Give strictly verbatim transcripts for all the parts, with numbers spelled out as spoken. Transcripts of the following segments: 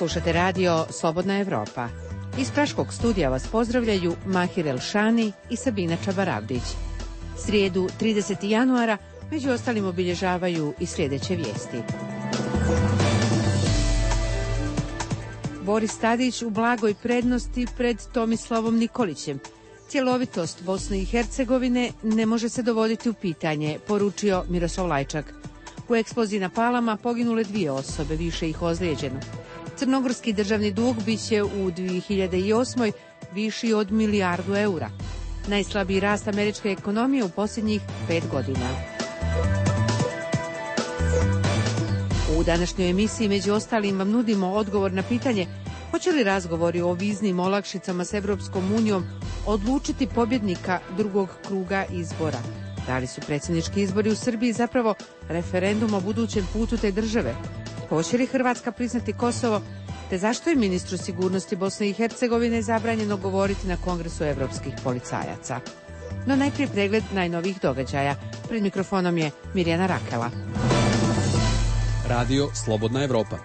Slušate radio Slobodna Evropa. Iz Praškog studija vas pozdravljaju Mahir Elšani i Sabina Čabaravdić. Srijedu tridesetog januara među ostalim obilježavaju i sljedeće vijesti. Boris Tadić u blagoj prednosti pred Tomislavom Nikolićem. Cjelovitost Bosne i Hercegovine ne može se dovoditi u pitanje, poručio Miroslav Lajčak. U eksploziji na Palama poginule dvije osobe, više ih ozlijeđeno. Crnogorski državni dug biće u dvije hiljade osmoj viši od milijardu eura. Najslabiji rast američke ekonomije u posljednjih pet godina. U današnjoj emisiji među ostalim vam nudimo odgovor na pitanje hoće li razgovori o viznim olakšicama s Evropskom unijom odlučiti pobjednika drugog kruga izbora. Da li su predsjednički izbori u Srbiji zapravo referendum o budućem putu te države? Hoće li Hrvatska priznati Kosovo? Te zašto je ministru sigurnosti Bosne i Hercegovine zabranjeno govoriti na Kongresu evropskih policajaca? No najprije pregled najnovijih događaja. Pred mikrofonom je Mirjana Rakela. Radio Slobodna Evropa.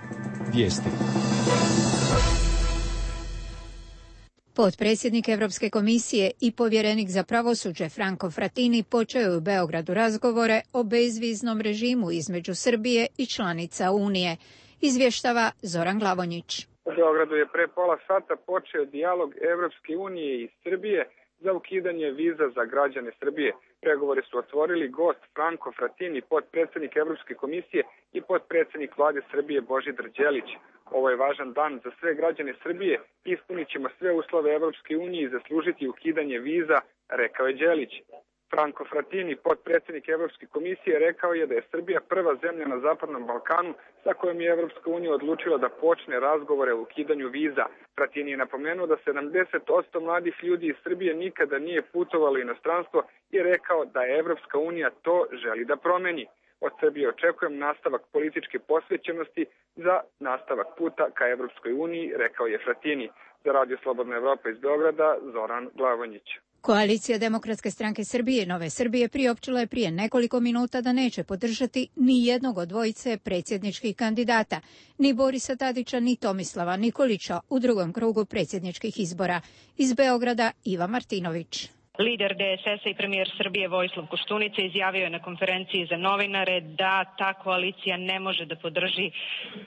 Vijesti. Potpredsjednik Europske komisije i povjerenik za pravosuđe Franco Frattini počeo je u Beogradu razgovore o bezviznom režimu između Srbije i članica Unije. Izvještava Zoran Glavonjić. U Beogradu je pre pola sata počeo dijalog Evropske unije i Srbije za ukidanje viza za građane Srbije. Pregovore su otvorili gost Franco Frattini, potpredsjednik Evropske komisije i potpredsjednik vlade Srbije Božidar Đelić. Ovo je važan dan za sve građane Srbije. Ispunit ćemo sve uslove Evropske unije i zaslužiti ukidanje viza, rekao je Đelić. Franco Frattini, potpredsjednik Evropske komisije, rekao je da je Srbija prva zemlja na Zapadnom Balkanu sa kojom je Evropska unija odlučila da počne razgovore o ukidanju viza. Frattini je napomenuo da sedamdeset posto mladih ljudi iz Srbije nikada nije putovalo u inostranstvo i rekao da je Evropska unija to želi da promeni. Od Srbije očekujem nastavak političke posvećenosti za nastavak puta ka Evropskoj uniji, rekao je Frattini. Za Radio Slobodna Evropa iz Beograda, Zoran Glavonjić. Koalicija Demokratske stranke Srbije i Nove Srbije priopćila je prije nekoliko minuta da neće podržati ni jednog od dvojice predsjedničkih kandidata, ni Borisa Tadića ni Tomislava Nikolića u drugom krugu predsjedničkih izbora. Iz Beograda Iva Martinović. Lider D S S-a i premijer Srbije Vojislav Koštunica izjavio je na konferenciji za novinare da ta koalicija ne može da podrži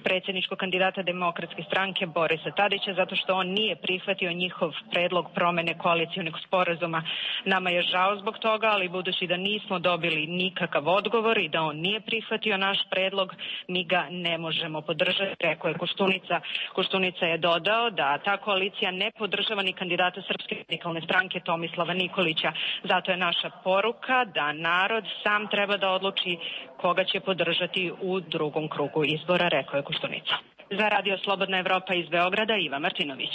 predsjedničkog kandidata Demokratske stranke Borisa Tadića zato što on nije prihvatio njihov predlog promene koalicionog sporazuma. Nama je žao zbog toga, ali budući da nismo dobili nikakav odgovor i da on nije prihvatio naš predlog, mi ga ne možemo podržati, rekao je Koštunica. Koštunica je dodao da ta koalicija ne podržava ni kandidata Srpske radikalne stranke Tomislava Nikolića. Zato je naša poruka da narod sam treba da odluči koga će podržati u drugom krugu izbora, rekao je Koštunica. Za Radio Slobodna Evropa iz Beograda, Iva Martinović.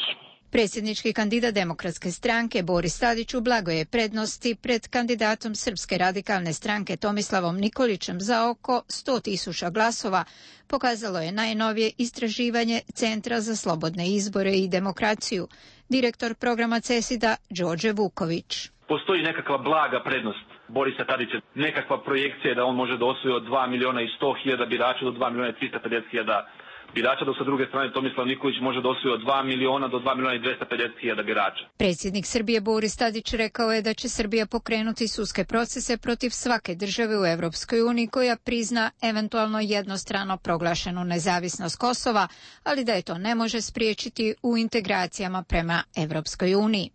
Predsjednički kandidat Demokratske stranke Boris Tadić u blagoj je prednosti pred kandidatom Srpske radikalne stranke Tomislavom Nikolićem za oko sto tisuća glasova, pokazalo je najnovije istraživanje Centra za slobodne izbore i demokraciju, direktor programa CESID-a Đorđe Vuković. Postoji nekakva blaga prednost Borisa Tadića, nekakva projekcija da on može da osvoji od dva miliona i sto hiljada birača do dva miliona i tristo pedeset hiljada birača, dok sa druge strane Tomislav Nikolić može da osvoji od dva miliona do dva miliona i dvesta pedeset hiljada birača. Predsjednik Srbije Boris Tadić rekao je da će Srbija pokrenuti sudske procese protiv svake države u Evropskoj uniji koja prizna eventualno jednostrano proglašenu nezavisnost Kosova, ali da je to ne može spriječiti u integracijama prema Evropskoj uniji.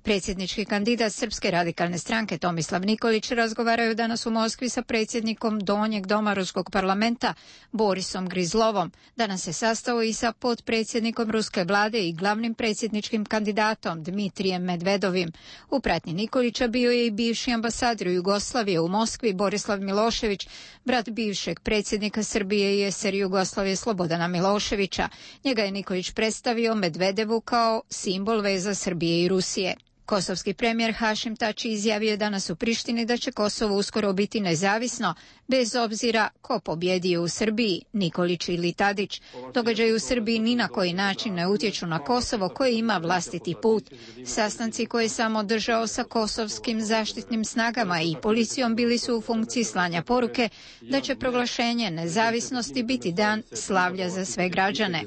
Predsjednički kandidat Srpske radikalne stranke Tomislav Nikolić razgovaraju danas u Moskvi sa predsjednikom Donjeg doma Ruskog parlamenta Borisom Grizlovom. Danas se sastao i sa potpredsjednikom ruske vlade i glavnim predsjedničkim kandidatom Dmitrijem Medvedovim. U pratnji Nikolića bio je i bivši ambasador Jugoslavije u Moskvi Borislav Milošević, brat bivšeg predsjednika Srbije i es er Jugoslavije Slobodana Miloševića. Njega je Nikolić predstavio Medvedevu kao simbol veza Srbije i Rusije. Kosovski premijer Hašim Tači izjavio je danas u Prištini da će Kosovo uskoro biti nezavisno, bez obzira ko pobjedio u Srbiji, Nikolić ili Tadić. Događaji u Srbiji ni na koji način ne utječu na Kosovo koje ima vlastiti put. Sastanci koje je sam održao sa kosovskim zaštitnim snagama i policijom bili su u funkciji slanja poruke da će proglašenje nezavisnosti biti dan slavlja za sve građane.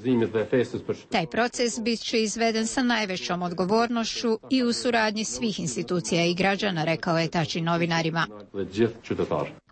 Taj proces bit će izveden sa najvećom odgovornošću i u suradnji svih institucija i građana, rekao je Tači novinarima.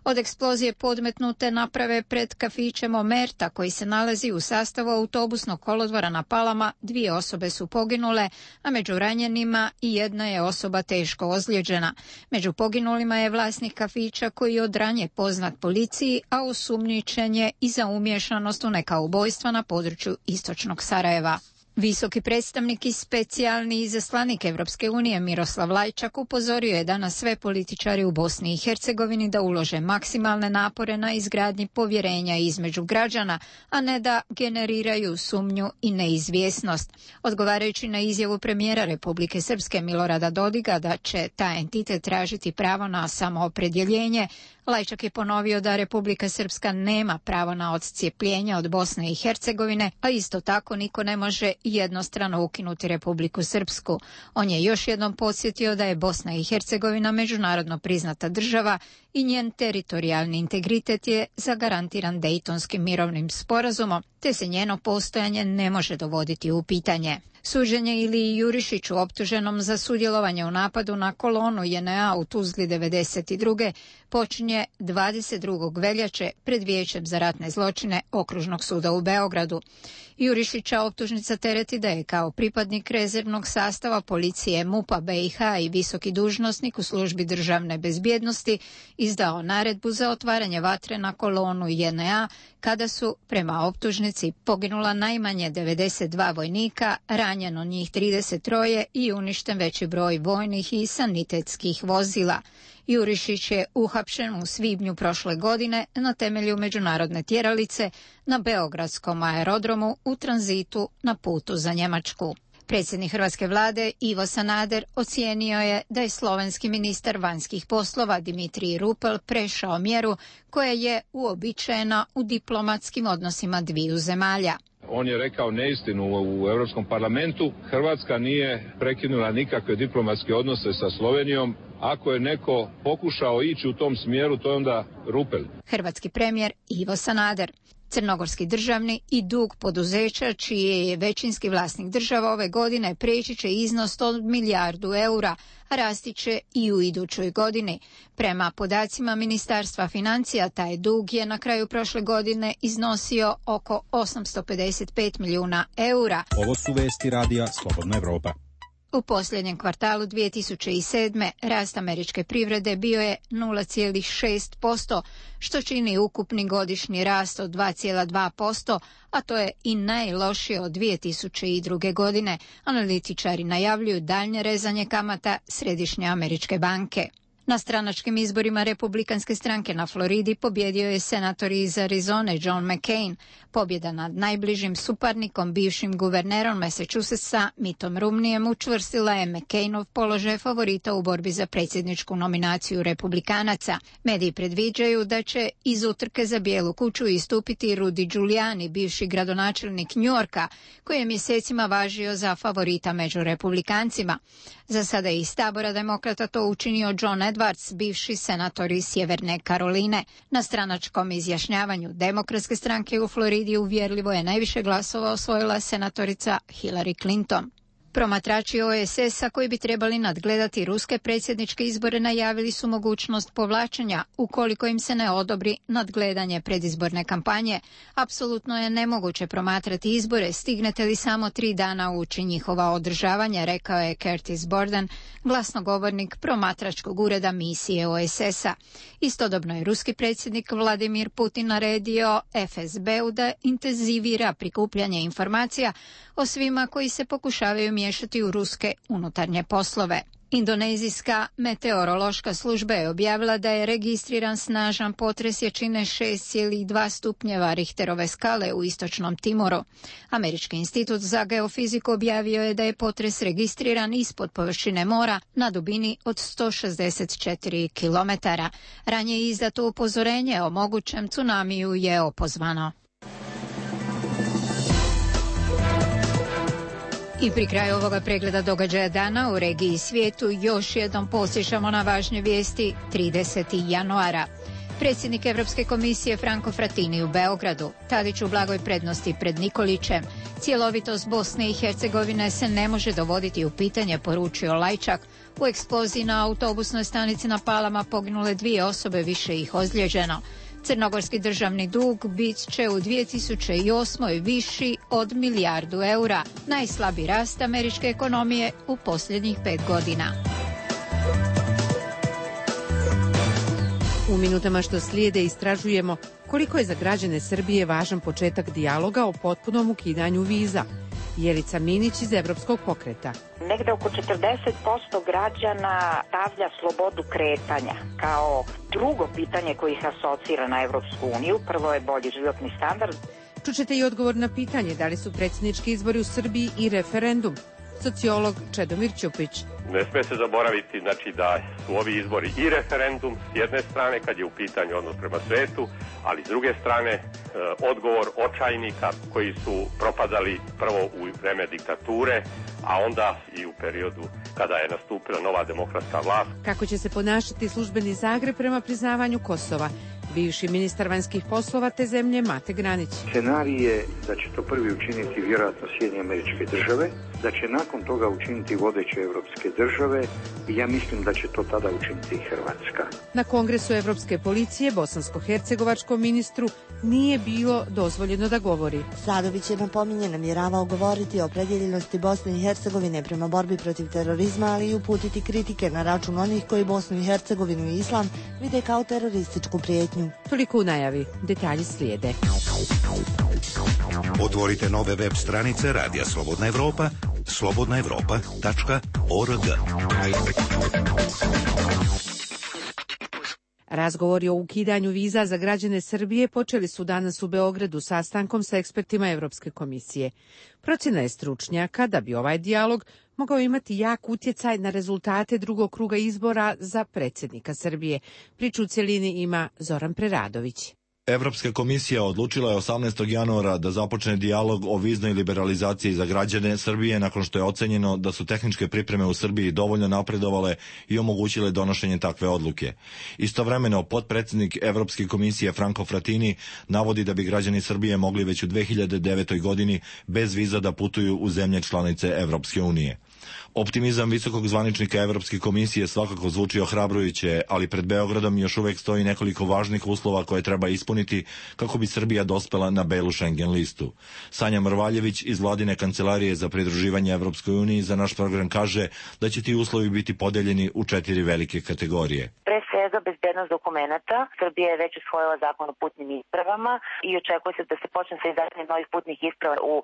Od eksplozije podmetnute naprave pred kafićem Omerta, koji se nalazi u sastavu autobusnog kolodvora na Palama, dvije osobe su poginule, a među ranjenima i jedna je osoba teško ozlijeđena. Među poginulima je vlasnik kafića koji je od ranje poznat policiji, a osumnjičen je i za umiješanost u neka ubojstva na području istočnog Sarajeva. Visoki predstavnik i specijalni izaslanik Evropske unije Miroslav Lajčak upozorio je danas sve političari u Bosni i Hercegovini da ulože maksimalne napore na izgradnji povjerenja između građana, a ne da generiraju sumnju i neizvjesnost. Odgovarajući na izjavu premijera Republike Srpske Milorada Dodiga da će taj entitet tražiti pravo na samoopredjeljenje, Lajčak je ponovio da Republika Srpska nema pravo na odcijepljenje od Bosne i Hercegovine, a isto tako niko ne može jednostrano ukinuti Republiku Srpsku. On je još jednom podsjetio da je Bosna i Hercegovina međunarodno priznata država i njen teritorijalni integritet je zagarantiran Dejtonskim mirovnim sporazumom, te se njeno postojanje ne može dovoditi u pitanje. Suđenje Iliji Jurišiću, optuženom za sudjelovanje u napadu na kolonu J N A u Tuzli devedeset druge počinje dvadeset drugog veljače pred Vijećem za ratne zločine Okružnog suda u Beogradu. Jurišića optužnica tereti da je kao pripadnik rezervnog sastava policije MUP-a B i H i visoki dužnosnik u službi državne bezbjednosti izdao naredbu za otvaranje vatre na kolonu J N A kada su, prema optužnici, poginula najmanje devedeset dva vojnika, ranjeno njih trideset tri i uništen veći broj vojnih i sanitetskih vozila. Jurišić je uhapšen u svibnju prošle godine na temelju međunarodne tjeralice na beogradskom aerodromu u tranzitu na putu za Njemačku. Predsjednik hrvatske vlade Ivo Sanader ocijenio je da je slovenski ministar vanjskih poslova Dimitrij Rupel prešao mjeru koja je uobičajena u diplomatskim odnosima dviju zemalja. On je rekao neistinu u Europskom parlamentu. Hrvatska nije prekinula nikakve diplomatske odnose sa Slovenijom. Ako je neko pokušao ići u tom smjeru, to je onda Rupel. Hrvatski premijer Ivo Sanader. Crnogorski državni i dug poduzeća, čiji je većinski vlasnik država ove godine, preći će iznos od milijardu eura, a rasti će i u idućoj godini. Prema podacima Ministarstva financija, taj dug je na kraju prošle godine iznosio oko osamsto pedeset pet milijuna eura. Ovo su vesti radija Slobodna Evropa. U posljednjem kvartalu dvije tisuće sedme. rast američke privrede bio je nula zarez šest posto, što čini ukupni godišnji rast od dva zarez dva posto, a to je i najlošije od dvije tisuće druge. godine. Analitičari najavljuju daljnje rezanje kamata Središnje američke banke. Na stranačkim izborima Republikanske stranke na Floridi pobjedio je senator iz Arizone John McCain. Pobjeda nad najbližim suparnikom, bivšim guvernerom Massachusettsa Mittom Romneyem, učvrstila je McCainov položaj favorita u borbi za predsjedničku nominaciju Republikanaca. Mediji predviđaju da će iz utrke za Bijelu kuću istupiti Rudy Giuliani, bivši gradonačelnik New Yorka, koji je mjesecima važio za favorita među Republikancima. Za sada je iz tabora demokrata to učinio John Edwards, bivši senator iz Sjeverne Karoline. Na stranačkom izjašnjavanju Demokratske stranke u Floridi uvjerljivo je najviše glasova osvojila senatorica Hillary Clinton. Promatrači O E S S-a koji bi trebali nadgledati ruske predsjedničke izbore najavili su mogućnost povlačenja ukoliko im se ne odobri nadgledanje predizborne kampanje. Apsolutno je nemoguće promatrati izbore, stignete li samo tri dana ući njihova održavanja, rekao je Curtis Borden, glasnogovornik promatračkog ureda misije O E S S-a. Istodobno je ruski predsjednik Vladimir Putin naredio F S B-u da intenzivira prikupljanje informacija o svima koji se pokušavaju miješati u ruske unutarnje poslove. Indonezijska meteorološka služba je objavila da je registriran snažan potres jačine šest zarez dva stupnjeva Richterove skale u istočnom Timoru. Američki institut za geofiziku objavio je da je potres registriran ispod površine mora na dubini od sto šezdeset četiri kilometara. Ranije izdato upozorenje o mogućem tsunamiju je opozvano. I pri kraju ovoga pregleda događaja dana u regiji i svijetu još jednom posjećamo na važne vijesti tridesetog januara. Predsjednik Europske komisije Franco Frattini u Beogradu, Tadić u blagoj prednosti pred Nikolićem. Cjelovitost Bosne i Hercegovine se ne može dovoditi u pitanje, poručio Lajčak. U eksploziji na autobusnoj stanici na Palama poginule dvije osobe, više ih ozlijeđeno. Crnogorski državni dug bit će u dvije tisuće osmoj viši od milijardu eura, najslabiji rast američke ekonomije u posljednjih pet godina. U minutama što slijede istražujemo koliko je za građane Srbije važan početak dijaloga o potpunom ukidanju viza. Jelica Minić iz Evropskog pokreta. Negde oko četrdeset posto građana stavlja slobodu kretanja kao drugo pitanje koje ih asocira na Evropsku uniju. Prvo je bolji životni standard. Čućete i odgovor na pitanje da li su predsjednički izbori u Srbiji i referendum. Sociolog Čedomir Ćupić. Ne sme se zaboraviti znači, da su ovi izbori i referendum s jedne strane kad je u pitanju odnos prema svetu, ali s druge strane e, odgovor očajnika koji su propadali prvo u vreme diktature, a onda i u periodu kada je nastupila nova demokratska vlast. Kako će se ponašati službeni Zagreb prema priznavanju Kosova? Bivši ministar vanjskih poslova te zemlje Mate Granić. Scenarij je da će to prvi učiniti vjerojatno Sjedinjene Američke Države, da će nakon toga učiniti vodeće evropske države i ja mislim da će to tada učiniti i Hrvatska. Na kongresu Evropske policije bosansko-hercegovačkom ministru nije bilo dozvoljeno da govori. Sadović je napominje namjeravao govoriti o opredjeljenosti Bosne i Hercegovine prema borbi protiv terorizma, ali i uputiti kritike na račun onih koji Bosnu i Hercegovinu i islam vide kao terorističku prijetnju. Toliko u najavi, detalji slijede. Otvorite nove web stranice Radija Slobodna Evropa, slobodna evropa tačka org. Razgovori o ukidanju viza za građane Srbije počeli su danas u Beogradu sastankom sa ekspertima Evropske komisije. Procjena je stručnjaka da bi ovaj dijalog mogao imati jak utjecaj na rezultate drugog kruga izbora za predsjednika Srbije. Priču u cjelini ima Zoran Preradović. Evropska komisija odlučila je osamnaestog januara da započne dijalog o viznoj liberalizaciji za građane Srbije nakon što je ocenjeno da su tehničke pripreme u Srbiji dovoljno napredovale i omogućile donošenje takve odluke. Istovremeno, potpredsjednik Evropske komisije Franco Frattini navodi da bi građani Srbije mogli već u dve hiljade devetoj godini bez viza da putuju u zemlje članice Evropske unije. Optimizam visokog zvaničnika Evropske komisije svakako zvuči ohrabrujuće, ali pred Beogradom još uvek stoji nekoliko važnih uslova koje treba ispuniti kako bi Srbija dospela na belu Schengen listu. Sanja Mrvaljević iz vladine kancelarije za pridruživanje Evropskoj uniji za naš program kaže da će ti uslovi biti podeljeni u četiri velike kategorije. Pre svega bezbednost dokumenata. Srbija je već usvojila zakon o putnim ispravama i očekuje se da se počne sa izdavanjem novih putnih isprava u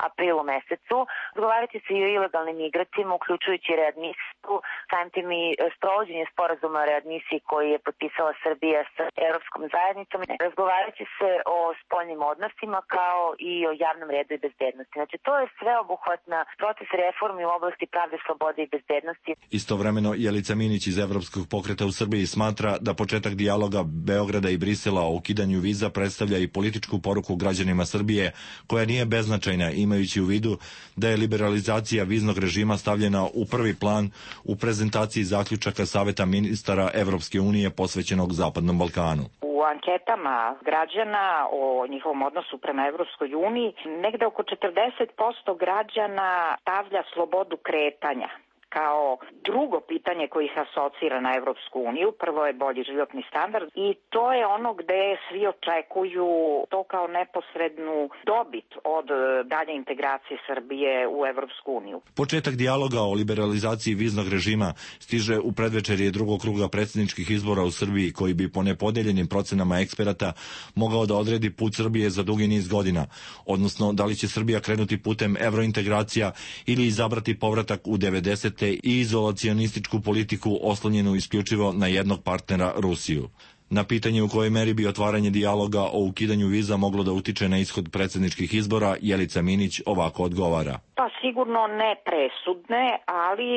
aprilu mesecu. Razgovarati se i o ilegalnim migrantima, uključujući readmisiju, samim tim i sprovođenje sporazuma o readmisiji koji je potpisala Srbija sa Evropskom zajednicom. Razgovarati se o spoljnim odnosima kao i o javnom redu i bezbednosti. Znači, to je sveobuhvatna proces reformi u oblasti pravde, slobode i bezbednosti. Istovremeno, Jelica Minić iz Evropskog pokreta u Srbiji smatra da početak dijaloga Beograda i Brisela o ukidanju viza predstavlja i političku poruku građanima Srbije, koja nije beznačajna, imajući u vidu da je liberalizacija viznog režima stavljena u prvi plan u prezentaciji zaključaka Saveta ministara Evropske unije posvećenog Zapadnom Balkanu. U anketama građana o njihovom odnosu prema Evropskoj uniji negde oko četrdeset posto građana stavlja slobodu kretanja kao drugo pitanje koje ih asocira na Evropsku uniju. Prvo je bolji životni standard i to je ono gde svi očekuju to kao neposrednu dobit od dalje integracije Srbije u Evropsku uniju. Početak dijaloga o liberalizaciji viznog režima stiže u predvečerje drugog kruga predsjedničkih izbora u Srbiji, koji bi po nepodeljenim procenama eksperata mogao da odredi put Srbije za dugi niz godina, odnosno da li će Srbija krenuti putem evrointegracija ili izabrati povratak u devedeset te i izolacionističku politiku oslonjenu isključivo na jednog partnera, Rusiju. Na pitanje u kojoj meri bi otvaranje dijaloga o ukidanju viza moglo da utiče na ishod predsjedničkih izbora, Jelica Minić ovako odgovara. Pa sigurno ne presudne, ali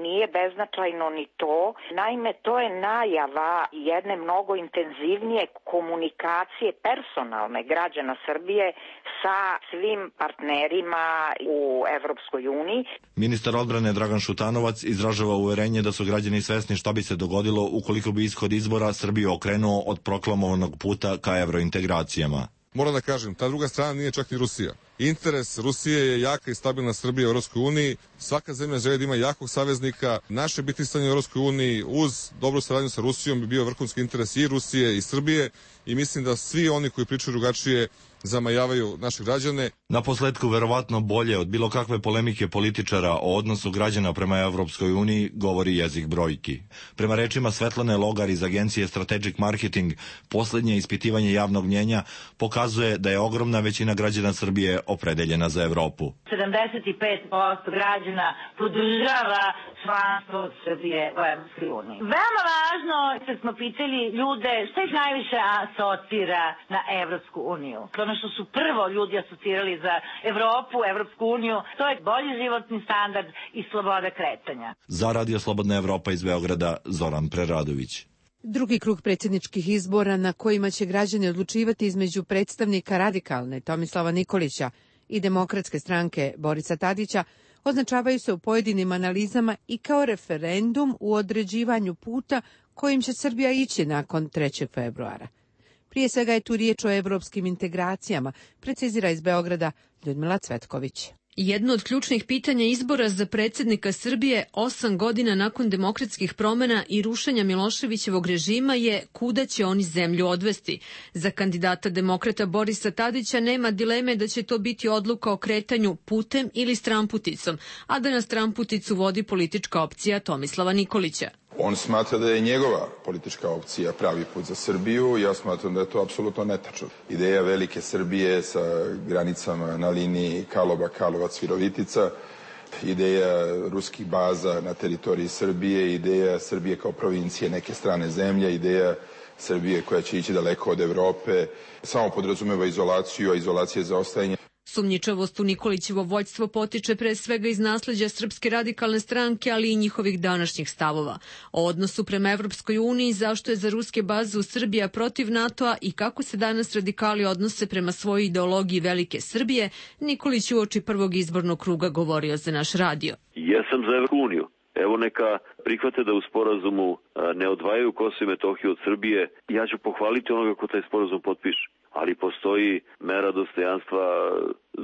nije beznačajno ni to. Naime, to je najava jedne mnogo intenzivnije komunikacije personalne građana Srbije sa svim partnerima u Evropskoj uniji. Ministar odbrane Dragan Šutanovac izražava uverenje da su građani svesni šta bi se dogodilo ukoliko bi ishod izbora Srbiju okrenuo od proklamovanog puta ka evrointegracijama. Moram da kažem, ta druga strana nije čak ni Rusija. Interes Rusije je jaka i stabilna Srbija u Europskoj uniji. Svaka zemlja želi da ima jakog saveznika. Naše bitisanje u Europskoj uniji uz dobru saradnju sa Rusijom bi bio vrhunski interes i Rusije i Srbije i mislim da svi oni koji pričaju drugačije zamajavaju naše građane. Na posledku, verovatno bolje od bilo kakve polemike političara o odnosu građana prema Evropskoj uniji govori jezik brojki. Prema rečima Svetlane Logar iz agencije Strategic Marketing, poslednje ispitivanje javnog mnjenja pokazuje da je ogromna većina građana Srbije opredeljena za Evropu. sedamdeset pet posto građana podržava članstvo Srbije u Evropskoj uniji. Veoma važno, kad smo pitali ljude šta ih najviše asocira na Evropsku uniju. Ono što su prvo ljudi asocirali za Evropu, Evropsku uniju, to je bolji životni standard i sloboda kretanja. Za Radio Slobodna Evropa iz Beograda, Zoran Preradović. Drugi krug predsjedničkih izbora na kojima će građani odlučivati između predstavnika radikalne Tomislava Nikolića i Demokratske stranke Borisa Tadića označavaju se u pojedinim analizama i kao referendum u određivanju puta kojim će Srbija ići nakon trećeg februara. Prije svega je tu riječ o evropskim integracijama, precizira iz Beograda Ljudmila Cvetković. Jedno od ključnih pitanja izbora za predsjednika Srbije osam godina nakon demokratskih promjena i rušenja Miloševićevog režima je kuda će oni zemlju odvesti. Za kandidata demokrata Borisa Tadića nema dileme da će to biti odluka o kretanju putem ili stramputicom, a da na stramputicu vodi politička opcija Tomislava Nikolića. On smatra da je njegova politička opcija pravi put za Srbiju i ja smatram da je to apsolutno netačno. Ideja velike Srbije sa granicama na liniji Karlovac-Virovitica, ideja ruskih baza na teritoriji Srbije, ideja Srbije kao provincije neke strane zemlje, ideja Srbije koja će ići daleko od Evrope, samo podrazumeva izolaciju, a izolacija je zaostajanje. Sumnjičavost u Nikolićevo vođstvo potiče pre svega iz nasleđa Srpske radikalne stranke, ali i njihovih današnjih stavova. O odnosu prema Evropskoj uniji, zašto je za ruske baze u Srbiji protiv NATO-a i kako se danas radikali odnose prema svojoj ideologiji velike Srbije, Nikolić uoči prvog izbornog kruga govorio za naš radio. Ja sam za Evropsku uniju. Evo neka prihvate da u sporazumu ne odvajaju Kosovo i Metohiju od Srbije. Ja ću pohvaliti onoga ko taj sporazum potpiše. Ali postoji mera dostojanstva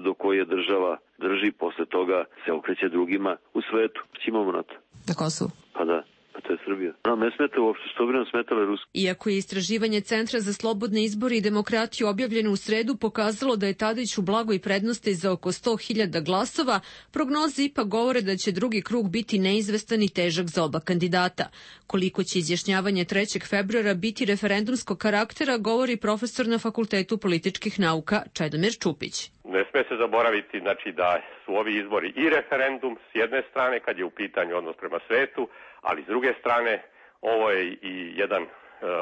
do koje država drži, posle toga se okreće drugima u svetu. Imamo na to. Na Kosovu? Pa da, pa to je Srbija. Nam ne smeta uopšte, što bi nam smetale Ruski. Iako je istraživanje Centra za slobodne izbore i demokratiju objavljeno u sredu pokazalo da je Tadić u blagoj prednosti za oko sto hiljada glasova, prognoze ipak govore da će drugi krug biti neizvestan i težak za oba kandidata. Koliko će izjašnjavanje trećeg februara biti referendumskog karaktera, govori profesor na Fakultetu političkih nauka Čedomir Čupić. Ne sme se zaboraviti znači, da su ovi izbori i referendum s jedne strane kad je u pitanju odnos prema svetu, ali s druge strane ovo je i jedan e,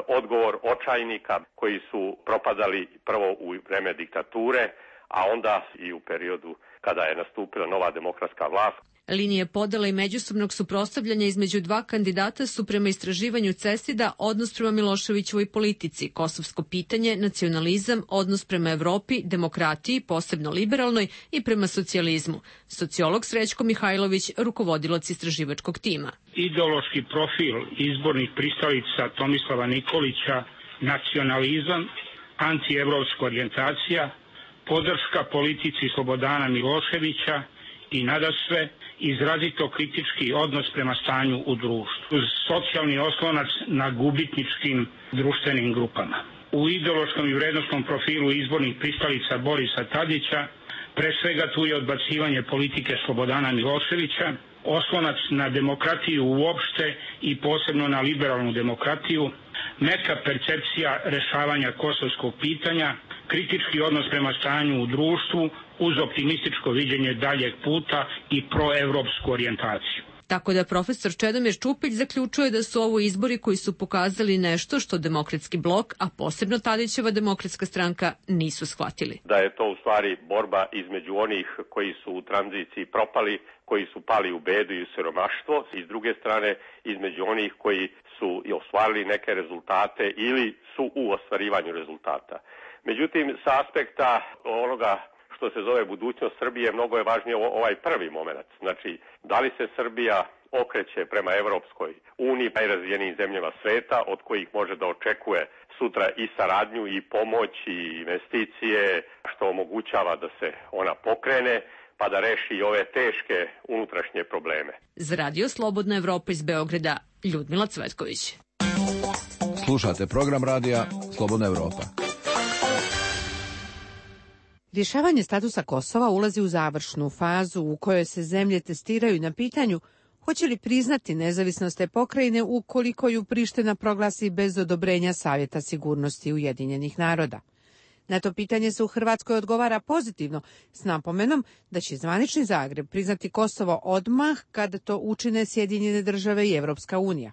odgovor očajnika koji su propadali prvo u vreme diktature, a onda i u periodu kada je nastupila nova demokratska vlast. Linije podela i međusobnog suprotstavljanja između dva kandidata su prema istraživanju CESID-a odnos prema Miloševićevoj politici, kosovsko pitanje, nacionalizam, odnos prema Evropi, demokratiji, posebno liberalnoj i prema socijalizmu. Sociolog Srećko Mihajlović, rukovodilac istraživačkog tima. Ideološki profil izbornih pristalica Tomislava Nikolića, nacionalizam, antievropska orijentacija, podrška politici Slobodana Miloševića i nadasve izrazito kritički odnos prema stanju u društvu, uz socijalni oslonac na gubitničkim društvenim grupama. U ideološkom i vrednostnom profilu izbornih pristalica Borisa Tadića pre svega tu je odbacivanje politike Slobodana Miloševića, oslonac na demokratiju uopšte i posebno na liberalnu demokratiju, neka percepcija rešavanja kosovskog pitanja, kritički odnos prema stanju u društvu uz optimističko viđenje daljeg puta i proevropsku orijentaciju. Tako da profesor Čedomir Čupić zaključuje da su ovo izbori koji su pokazali nešto što Demokratski blok, a posebno Tadićeva Demokratska stranka, nisu shvatili. Da je to u stvari borba između onih koji su u tranziciji propali, koji su pali u bedu i u siromaštvo, i s druge strane između onih koji su ostvarili neke rezultate ili su u ostvarivanju rezultata. Međutim, sa aspekta onoga što se zove budućnost Srbije, mnogo je važnije ovaj prvi moment. Znači, da li se Srbija okreće prema Evropskoj uniji, najrazvijenijim zemljama sveta, od kojih može da očekuje sutra i saradnju i pomoć i investicije, što omogućava da se ona pokrene, pa da reši ove teške unutrašnje probleme. Za Radio Slobodna Evropa iz Beograda, Ljudmila Cvetković. Slušate program radija Slobodna Evropa. Rješavanje statusa Kosova ulazi u završnu fazu u kojoj se zemlje testiraju na pitanju hoće li priznati nezavisnost te pokrajine ukoliko ju Priština proglasi bez odobrenja Savjeta sigurnosti Ujedinjenih naroda. Na to pitanje se u Hrvatskoj odgovara pozitivno, s napomenom da će zvanični Zagreb priznati Kosovo odmah kada to učine Sjedinjene države i Evropska unija.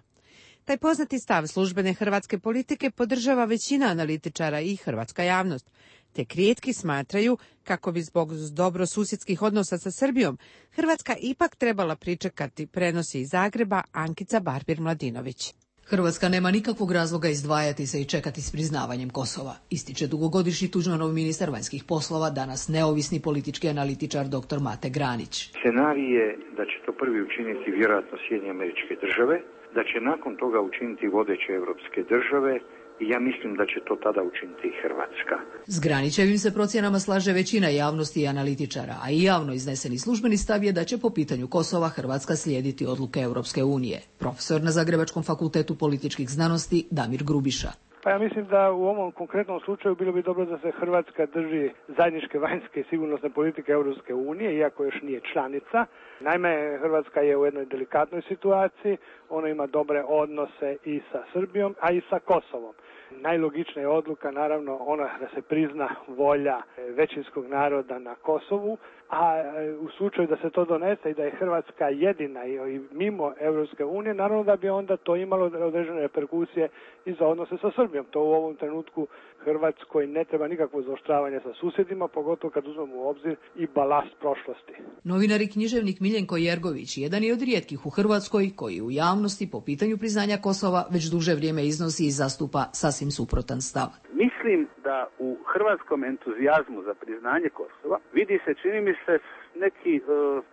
Taj poznati stav službene hrvatske politike podržava većina analitičara i hrvatska javnost, te rijetki smatraju kako bi zbog dobrosusjedskih odnosa sa Srbijom Hrvatska ipak trebala pričekati, prenosi iz Zagreba Ankica Barbir-Mladinović. Hrvatska nema nikakvog razloga izdvajati se i čekati s priznavanjem Kosova, ističe dugogodišnji Tuđmanov ministar vanjskih poslova, danas neovisni politički analitičar dr. Mate Granić. Scenarij je da će to prvi učiniti vjerojatno Sjedinjene Američke Države, da će nakon toga učiniti vodeće evropske države i ja mislim da će to tada učiniti i Hrvatska. S Granićevim se procjenama slaže većina javnosti i analitičara, a i javno izneseni službeni stav je da će po pitanju Kosova Hrvatska slijediti odluke Europske unije. Profesor na Zagrebačkom fakultetu političkih znanosti Damir Grubiša. Pa ja mislim da u ovom konkretnom slučaju bilo bi dobro da se Hrvatska drži zajedničke vanjske i sigurnosne politike Europske unije, iako još nije članica. Naime, Hrvatska je u jednoj delikatnoj situaciji, ona ima dobre odnose i sa Srbijom, a i sa Kosovom. Najlogičnija je odluka, naravno, ona da se prizna volja većinskog naroda na Kosovu, a u slučaju da se to donese i da je Hrvatska jedina i mimo Europske unije, naravno da bi onda to imalo određene reperkusije i za odnose sa Srbijom. To u ovom trenutku Hrvatskoj ne treba nikakvo zaoštravanje sa susjedima, pogotovo kad uzmemo u obzir i balast prošlosti. Novinar i književnik Miljenko Jergović jedan je od rijetkih u Hrvatskoj koji u javnosti po pitanju priznanja Kosova već duže vrijeme iznosi i zastupa sasvim suprotan stav. Mislim da u hrvatskom entuzijazmu za priznanje Kosova vidi se, čini mi se, neki,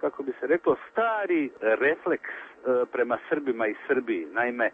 kako bi se reklo, stari refleks prema Srbima i Srbiji. Naime,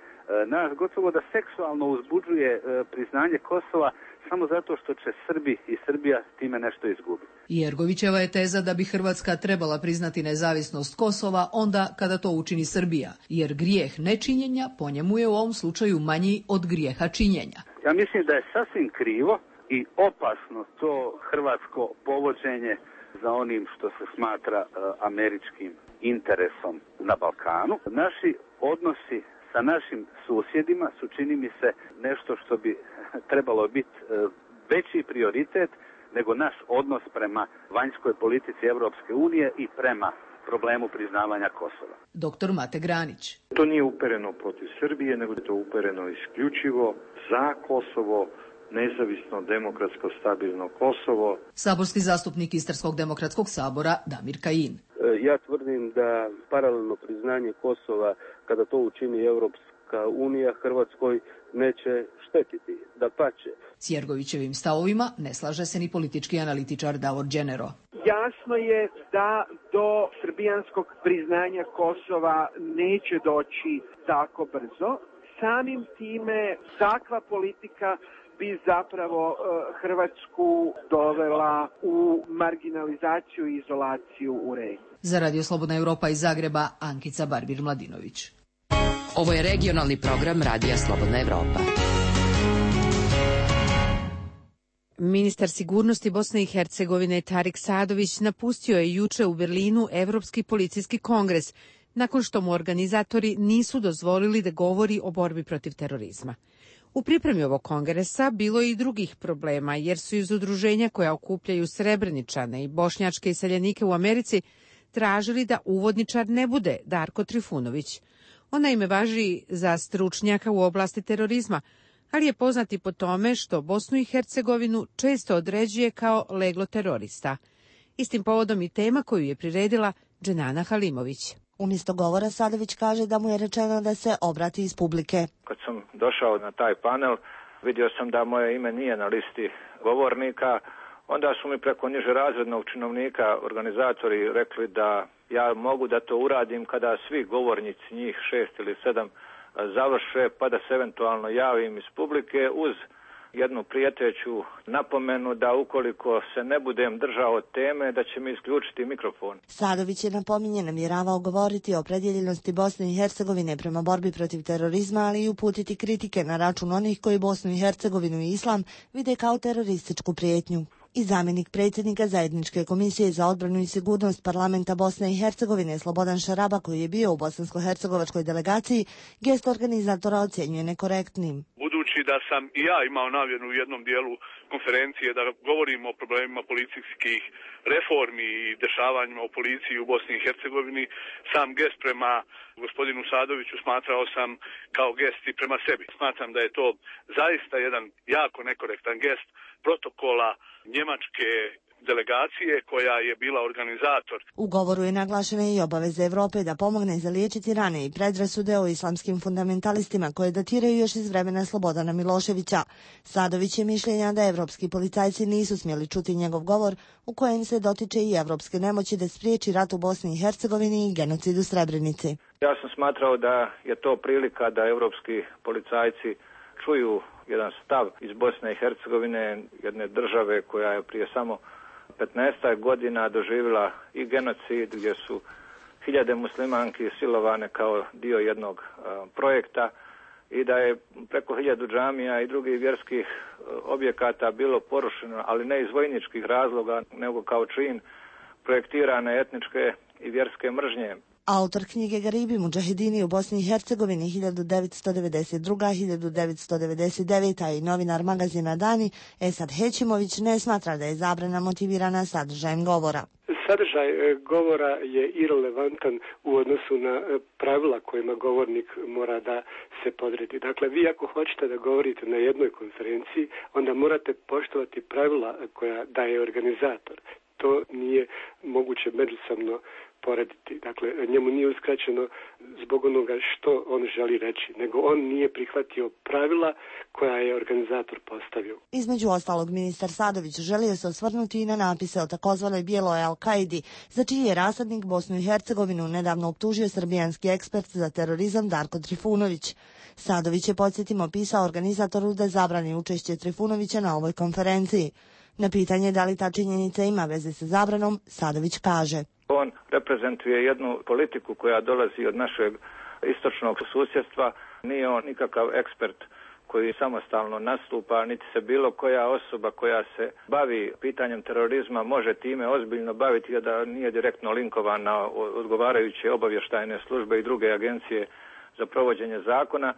nas gotovo da seksualno uzbuđuje priznanje Kosova samo zato što će Srbi i Srbija time nešto izgubiti. Jergovićeva je teza da bi Hrvatska trebala priznati nezavisnost Kosova onda kada to učini Srbija, jer grijeh nečinjenja po njemu je u ovom slučaju manji od grijeha činjenja. Ja mislim da je sasvim krivo i opasno to hrvatsko povođenje za onim što se smatra uh, američkim interesom na Balkanu. Naši odnosi sa našim susjedima su, čini mi se, nešto što bi trebalo biti uh, veći prioritet nego naš odnos prema vanjskoj politici Europske unije i prema problemu priznavanja Kosova. Doktor Mate Granić. To nije upereno protiv Srbije, nego je to upereno isključivo za Kosovo, nezavisno, demokratsko, stabilno Kosovo. Saborski zastupnik Istarskog demokratskog sabora Damir Kajin. Ja tvrdim da paralelno priznanje Kosova, kada to učini Europska unija, Hrvatskoj neće štetiti, dapače. S Jergovićevim stavovima ne slaže se ni politički analitičar Davor Đenero. Jasno je da do srbijanskog priznanja Kosova neće doći tako brzo. Samim time takva politika bi zapravo Hrvatsku dovela u marginalizaciju i izolaciju u regiji. Za Radio Slobodna Evropa iz Zagreba, Ankica Barbir-Mladinović. Ovo je regionalni program Radija Slobodna Evropa. Ministar sigurnosti Bosne i Hercegovine Tarik Sadović napustio je juče u Berlinu Evropski policijski kongres, nakon što mu organizatori nisu dozvolili da govori o borbi protiv terorizma. U pripremi ovog kongresa bilo je i drugih problema, jer su iz udruženja koja okupljaju Srebreničane i bošnjačke iseljenike u Americi tražili da uvodničar ne bude Darko Trifunović. On naime važi za stručnjaka u oblasti terorizma, ali je poznat i po tome što Bosnu i Hercegovinu često određuje kao leglo terorista. Istim povodom i tema koju je priredila Dženana Halimović. Umjesto govora Sadović kaže da mu je rečeno da se obrati iz publike. Kad sam došao na taj panel, vidio sam da moje ime nije na listi govornika. Onda su mi preko niže razrednog činovnika organizatori rekli da ja mogu da to uradim kada svi govornici, njih šest ili sedam, završe, pa da se eventualno javim iz publike uz jednu prijeteću napomenu da ukoliko se ne budem držao teme, da će mi isključiti mikrofon. Sadović je napominje namjeravao govoriti o opredjeljenosti Bosne i Hercegovine prema borbi protiv terorizma, ali i uputiti kritike na račun onih koji Bosnu i Hercegovinu i islam vide kao terorističku prijetnju. I zamjenik predsjednika Zajedničke komisije za odbranu i sigurnost parlamenta Bosne i Hercegovine Slobodan Šaraba, koji je bio u bosansko-hercegovačkoj delegaciji, gest organizatora ocjenjuje nekorektnim. Budući da sam i ja imao namjeru u jednom dijelu konferencije da govorim o problemima policijskih reformi i dešavanjima u policiji u Bosni i Hercegovini, sam gest prema gospodinu Sadoviću smatrao sam kao gest i prema sebi. Smatram da je to zaista jedan jako nekorektan gest protokola njemačke delegacije koja je bila organizator. U govoru je naglašena i obaveza Evrope da pomogne zaliječiti rane i predrasude o islamskim fundamentalistima koje datiraju još iz vremena Slobodana Miloševića. Sadović je mišljenja da evropski policajci nisu smjeli čuti njegov govor u kojem se dotiče i evropske nemoći da spriječi rat u Bosni i Hercegovini i genocid u Srebrenici. Ja sam smatrao da je to prilika da evropski policajci čuju jedan stav iz Bosne i Hercegovine, jedne države koja je prije samo petnaest godina doživjela i genocid gdje su hiljade muslimanki silovane kao dio jednog uh, projekta i da je preko hiljadu džamija i drugih vjerskih uh, objekata bilo porušeno, ali ne iz vojničkih razloga, nego kao čin projektirane etničke i vjerske mržnje. Autor knjige Garibi Mudžahedini u Bosni i Hercegovini hiljadu devetsto devedeset druga do hiljadu devetsto devedeset deveta i novinar magazina Dani Esad Hećimović ne smatra da je zabrana motivirana sadržajem govora. Sadržaj govora je irelevantan u odnosu na pravila kojima govornik mora da se podredi. Dakle, vi ako hoćete da govorite na jednoj konferenciji, onda morate poštovati pravila koja daje organizator. To nije moguće međusobno porediti. Dakle, njemu nije uskraćeno zbog onoga što on želi reći, nego on nije prihvatio pravila koja je organizator postavio. Između ostalog, ministar Sadović želio se osvrnuti i na napise o takozvanoj bijeloj Al-Kaidi, za čiji je rasadnik Bosnu i Hercegovinu nedavno optužio srbijanski ekspert za terorizam Darko Trifunović. Sadović je, podsjetimo, pisao organizatoru da zabrani učešće Trifunovića na ovoj konferenciji. Na pitanje da li ta činjenica ima veze sa zabranom, Sadović kaže: On reprezentuje jednu politiku koja dolazi od našeg istočnog susjedstva. Nije on nikakav ekspert koji samostalno nastupa, niti se bilo koja osoba koja se bavi pitanjem terorizma može time ozbiljno baviti, a da nije direktno linkovan na odgovarajuće obavještajne službe i druge agencije za provođenje zakona.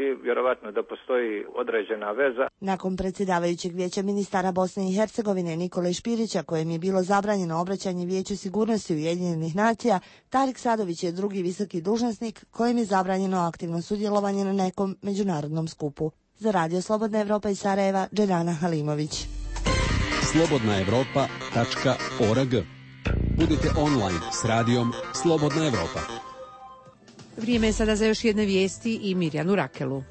I vjerovatno da postoji određena veza. Nakon predsjedavajućeg vijeća ministara Bosne i Hercegovine Nikole Špirića, kojem je bilo zabranjeno obraćanje Vijeću sigurnosti Ujedinjenih nacija, Tarik Sadović je drugi visoki dužnosnik kojem je zabranjeno aktivno sudjelovanje na nekom međunarodnom skupu. Za Radio Slobodna Evropa iz Sarajeva, Dženana Halimović. slobodna evropa tačka org. Budite online s radijom Slobodna Evropa. Vrijeme je sada za još jedne vijesti i Mirjanu Rakelu.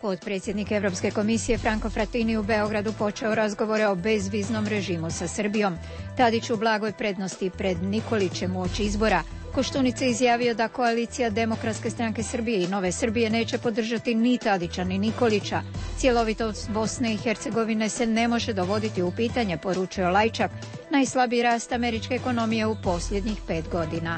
Potpredsjednik Evropske komisije Franco Frattini u Beogradu počeo razgovore o bezviznom režimu sa Srbijom. Tadić u blagoj prednosti pred Nikolićem uoči izbora. Koštunica je izjavio da koalicija Demokratske stranke Srbije i Nove Srbije neće podržati ni Tadića ni Nikolića. Cjelovitost Bosne i Hercegovine se ne može dovoditi u pitanje, poručio Lajčak. Najslabiji rast američke ekonomije u posljednjih pet godina.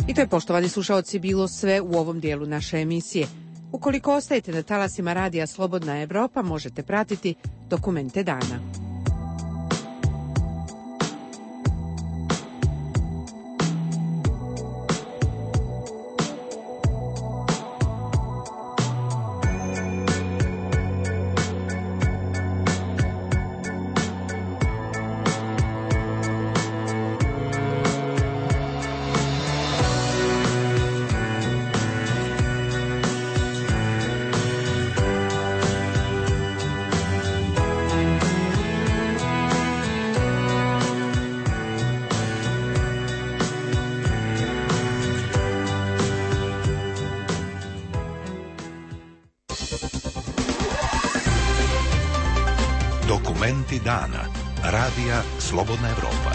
I to je, poštovani slušaoci, bilo sve u ovom dijelu naše emisije. Ukoliko ostajete na talasima Radija Slobodna Evropa, možete pratiti Dokumente dana. Dokumenti dana. Radija Slobodna Evropa.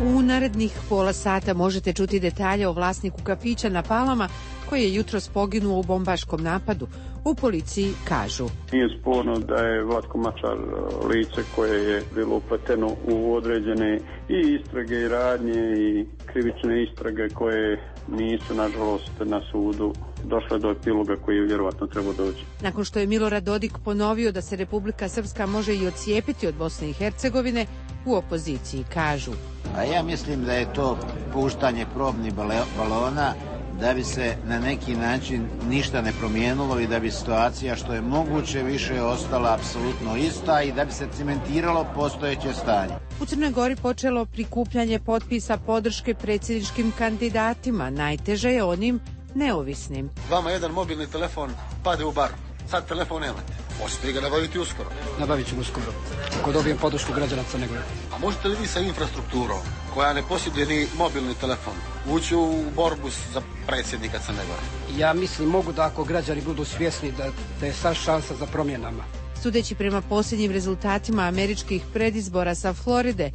U narednih pola sata možete čuti detalje o vlasniku kafića na Palama koji je jutros poginuo u bombaškom napadu. U policiji kažu: Nije sporno da je Vlatko Mačar lice koje je bilo upleteno u određene i istrage i radnje i krivične istrage koje nisu, nažalost, na sudu došle do epiloga koji je vjerovatno trebao doći. Nakon što je Milorad Dodik ponovio da se Republika Srpska može i odcijepiti od Bosne i Hercegovine, u opoziciji kažu: A ja mislim da je to puštanje probnih balona da bi se na neki način ništa ne promijenilo i da bi situacija što je moguće više ostala apsolutno ista i da bi se cimentiralo postojeće stanje. U Crnoj Gori počelo prikupljanje potpisa podrške predsjedničkim kandidatima. Najteže je onim neovisnim. Vama jedan mobilni telefon pade u bar. Sad telefon nemate. Možete ga nabaviti uskoro. Nabavit ćemo uskoro. Ako dobijem podršku građana Crne Gore. A možete li vi sa infrastrukturom, koja ne posjeduje ni mobilni telefon, ući u borbu za predsjednika Crne Gore? Ja mislim mogu da ako građani budu svjesni da, da je sad šansa za promjenama. Sudeći prema posljednjim rezultatima američkih predizbora sa Floride,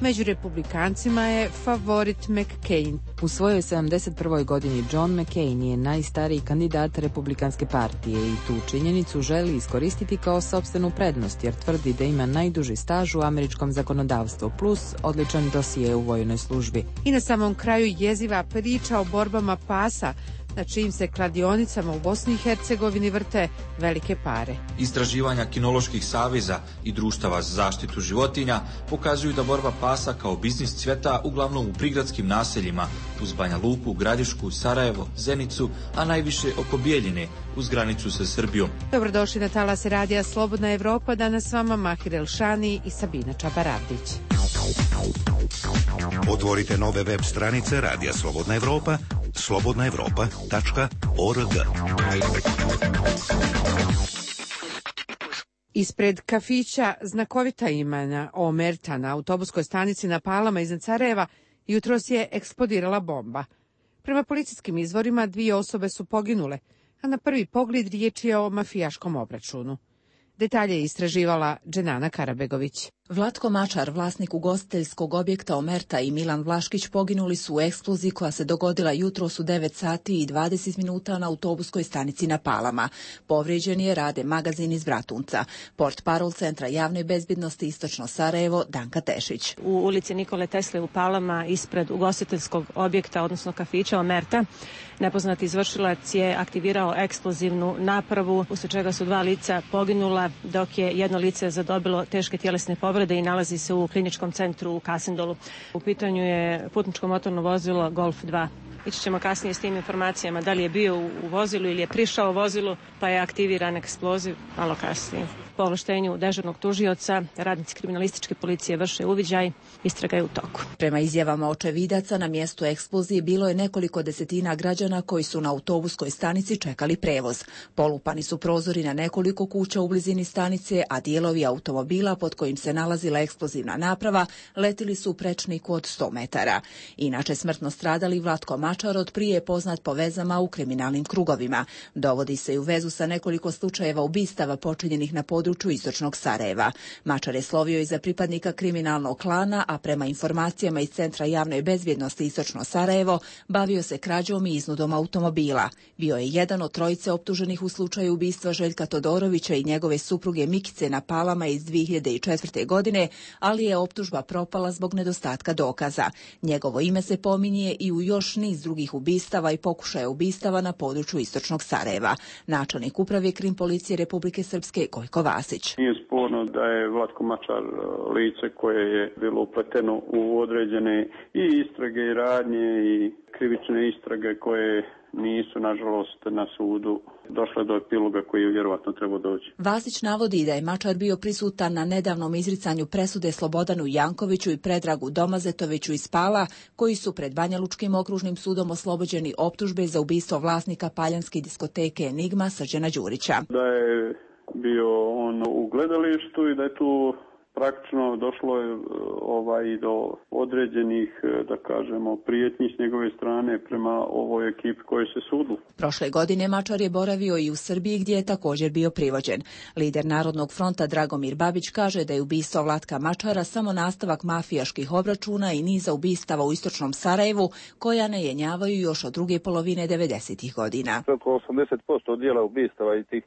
među republikancima je favorit McCain. U svojoj sedamdeset prvoj godini John McCain je najstariji kandidat Republikanske partije i tu činjenicu želi iskoristiti kao sopstvenu prednost jer tvrdi da ima najduži staž u američkom zakonodavstvu plus odličan dosije u vojnoj službi. I na samom kraju jeziva priča o borbama pasa na čijim se kladionicama u Bosni i Hercegovini vrte velike pare. Istraživanja kinoloških saveza i društava za zaštitu životinja pokazuju da borba pasa kao biznis cveta uglavnom u prigradskim naseljima uz Banja Luku, Gradišku, Sarajevo, Zenicu, a najviše oko Bijeljine uz granicu sa Srbijom. Dobrodošli na talase radija Slobodna Evropa, danas s vama Mahir Elšani i Sabina Čabaravdić. Otvorite nove web stranice Radija Slobodna Evropa, slobodna evropa tačka org. Ispred kafića znakovita imena Omerta na autobuskoj stanici na Palama iznad Sarajeva jutros je eksplodirala bomba. Prema policijskim izvorima dvije osobe su poginule, a na prvi pogled riječ je o mafijaškom obračunu. Detalje je istraživala Dženana Karabegović. Vlatko Mačar, vlasnik ugostiteljskog objekta Omerta, i Milan Vlaškić poginuli su u eksploziji koja se dogodila jutros u devet sati i dvadeset minuta na autobuskoj stanici na Palama. Povrijeđen je Rade magazin iz Bratunca. Portparol Centra javne bezbjednosti Istočno Sarajevo, Danka Tešić. U ulici Nikole Tesle u Palama, ispred ugostiteljskog objekta, odnosno kafića Omerta, nepoznati izvršilac je aktivirao eksplozivnu napravu, usled čega su dva lica poginula, dok je jedno lice zadobilo teške tjelesne povrede i nalazi se u kliničkom centru u Kasindolu. U pitanju je putničko motorno vozilo Golf dva. Ići ćemo kasnije s tim informacijama da li je bio u vozilu ili je prišao u vozilu, pa je aktiviran eksploziv malo kasnije. Po ovlaštenju dežurnog tužioca, radnici kriminalističke policije vrše uviđaj, istraga je u toku. Prema izjavama očevidaca, na mjestu eksplozije bilo je nekoliko desetina građana koji su na autobuskoj stanici čekali prevoz. Polupani su prozori na nekoliko kuća u blizini stanice, a dijelovi automobila pod kojim se nalazila eksplozivna naprava letili su u prečniku od sto metara. Inače, smrtno stradali Vlatko Mačar od prije je poznat po vezama u kriminalnim krugovima. Dovodi se i u vezu sa nekoliko slučajeva ubistava počinjenih na području Istočnog Sarajeva. Mačar je slovio i za pripadnika kriminalnog klana, a prema informacijama iz Centra javne bezbjednosti Istočno Sarajevo bavio se krađom i iznudom automobila. Bio je jedan od trojice optuženih u slučaju ubistva Željka Todorovića i njegove supruge Mikice na Palama iz dvije hiljade četvrte. godine, ali je optužba propala zbog nedostatka dokaza. Njegovo ime se pominje i u još niz drugih ubistava i pokušaja ubistava na području Istočnog Sarajeva. Načelnik uprave Krim policije Republike Srpske Gojko Vasić. Nije sporno da je Vlatko Mačar lice koje je bilo upleteno u određene i istrage i radnje i krivične istrage koje nisu, nažalost, na sudu došle do epiloga koji je vjerovatno trebao doći. Vasić navodi da je Mačar bio prisutan na nedavnom izricanju presude Slobodanu Jankoviću i Predragu Domazetoviću iz Pala, koji su pred Banjalučkim okružnim sudom oslobođeni optužbe za ubistvo vlasnika paljanske diskoteke Enigma Srđana Đurića. Da je bio on u gledalištu i da je tu praktično došlo je ovaj do određenih, da kažemo, prijetnji s njegove strane prema ovoj ekipi koje se sudu. Prošle godine Mačar je boravio i u Srbiji gdje je također bio privođen. Lider Narodnog fronta Dragomir Babić kaže da je ubistvo Vlatka Mačara samo nastavak mafijaških obračuna i niza ubistava u istočnom Sarajevu koja ne jenjavaju još od druge polovine devedesetih godina. Oko osamdeset posto dijela ubistava i tih,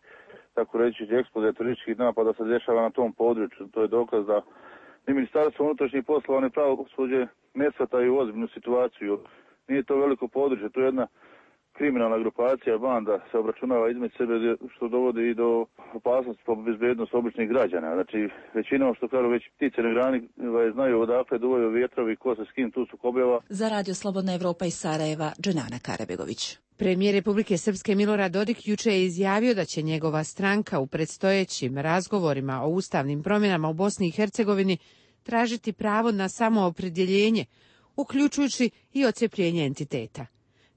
tako reći, eksplozija terorističkih napada se dešava na tom području. To je dokaz da ni Ministarstvo unutrašnjih poslova ni pravosuđe ne shvataju ozbiljnu situaciju. Nije to veliko područje, to je jedna kriminalna grupacija, banda se obračunava između sebe, što dovodi i do opasnosti po bezbednost običnih građana. Znači, većinom, što kažu, već ptice na grani znaju odakle duvaju vjetrovi, ko se s kim tu sukobljava. Za Radio Slobodna Evropa iz Sarajeva, Dženana Karabegović. Premijer Republike Srpske Milorad Dodik juče je izjavio da će njegova stranka u predstojećim razgovorima o ustavnim promjenama u Bosni i Hercegovini tražiti pravo na samoopredjeljenje, uključujući i odcjepljenje entiteta.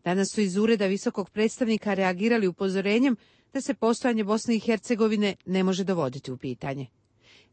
Danas su iz ureda visokog predstavnika reagirali upozorenjem da se postojanje Bosne i Hercegovine ne može dovoditi u pitanje.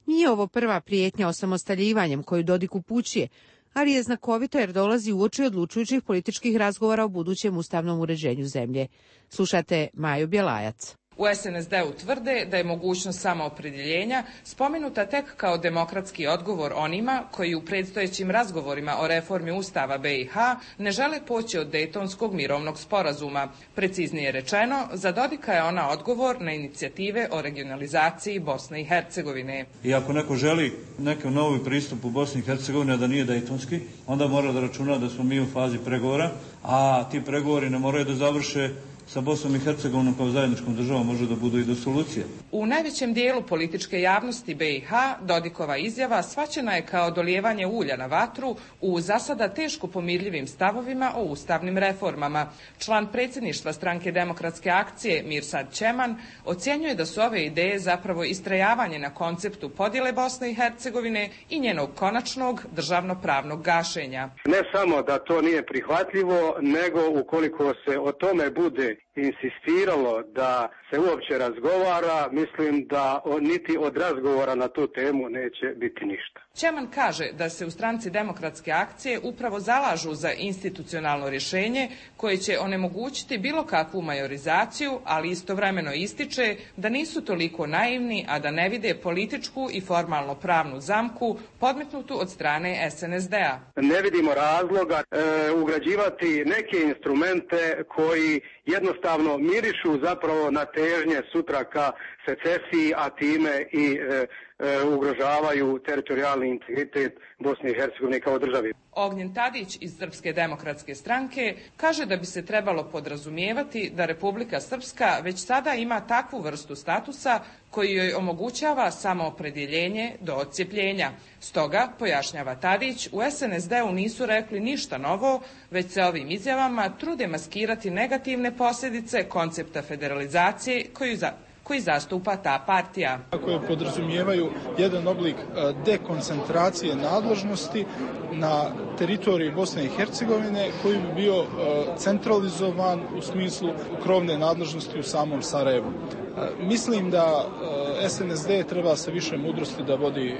Nije ovo prva prijetnja osamostaljivanjem koju Dodik upućuje, ali je znakovito jer dolazi uoči odlučujućih političkih razgovora o budućem ustavnom uređenju zemlje. Slušate Maju Bjelajac. U es en es de-u tvrde da je mogućnost samoopredjeljenja spomenuta tek kao demokratski odgovor onima koji u predstojećim razgovorima o reformi Ustava be i ha ne žele poći od Dejtonskog mirovnog sporazuma. Preciznije rečeno, za Dodika je ona odgovor na inicijative o regionalizaciji Bosne i Hercegovine. I ako neko želi neki novi pristup u Bosni i Hercegovini, a da nije Dejtonski, onda mora da računa da smo mi u fazi pregovora, a ti pregovori ne moraju da završe sa Bosnom i Hercegovinom kao zajedničkom državom, može da budu i do solucije. U najvećem dijelu političke javnosti be i ha Dodikova izjava shvaćena je kao dolijevanje ulja na vatru u za sada teško pomirljivim stavovima o ustavnim reformama. Član predsjedništva stranke Demokratske akcije Mirsad Čeman ocjenjuje da su ove ideje zapravo istrajavanje na konceptu podjele Bosne i Hercegovine i njenog konačnog državno-pravnog gašenja. Ne samo da to nije prihvatljivo, nego ukoliko se o tome bude insistiralo da se uopće razgovara, mislim da niti od razgovora na tu temu neće biti ništa. Čeman kaže da se u stranci Demokratske akcije upravo zalažu za institucionalno rješenje koje će onemogućiti bilo kakvu majorizaciju, ali istovremeno ističe da nisu toliko naivni, a da ne vide političku i formalno pravnu zamku podmetnutu od strane es en es de-a. Ne vidimo razloga e, ugrađivati neke instrumente koji jednostavno mirišu zapravo na težnje sutra ka secesiji, a time i e, e, ugrožavaju teritorijalni integritet Bosne i Hercegovine kao državi. Ognjen Tadić iz Srpske demokratske stranke kaže da bi se trebalo podrazumijevati da Republika Srpska već sada ima takvu vrstu statusa koji joj omogućava samoopredjeljenje do odcjepljenja. Stoga, pojašnjava Tadić, u es en es de-u nisu rekli ništa novo, već se ovim izjavama trude maskirati negativne posljedice koncepta federalizacije koju za koji zastupa ta partija. Koje podrazumijevaju jedan oblik dekoncentracije nadležnosti na teritoriji Bosne i Hercegovine koji bi bio centralizovan u smislu krovne nadležnosti u samom Sarajevu. Mislim da es en es de treba sa više mudrosti da vodi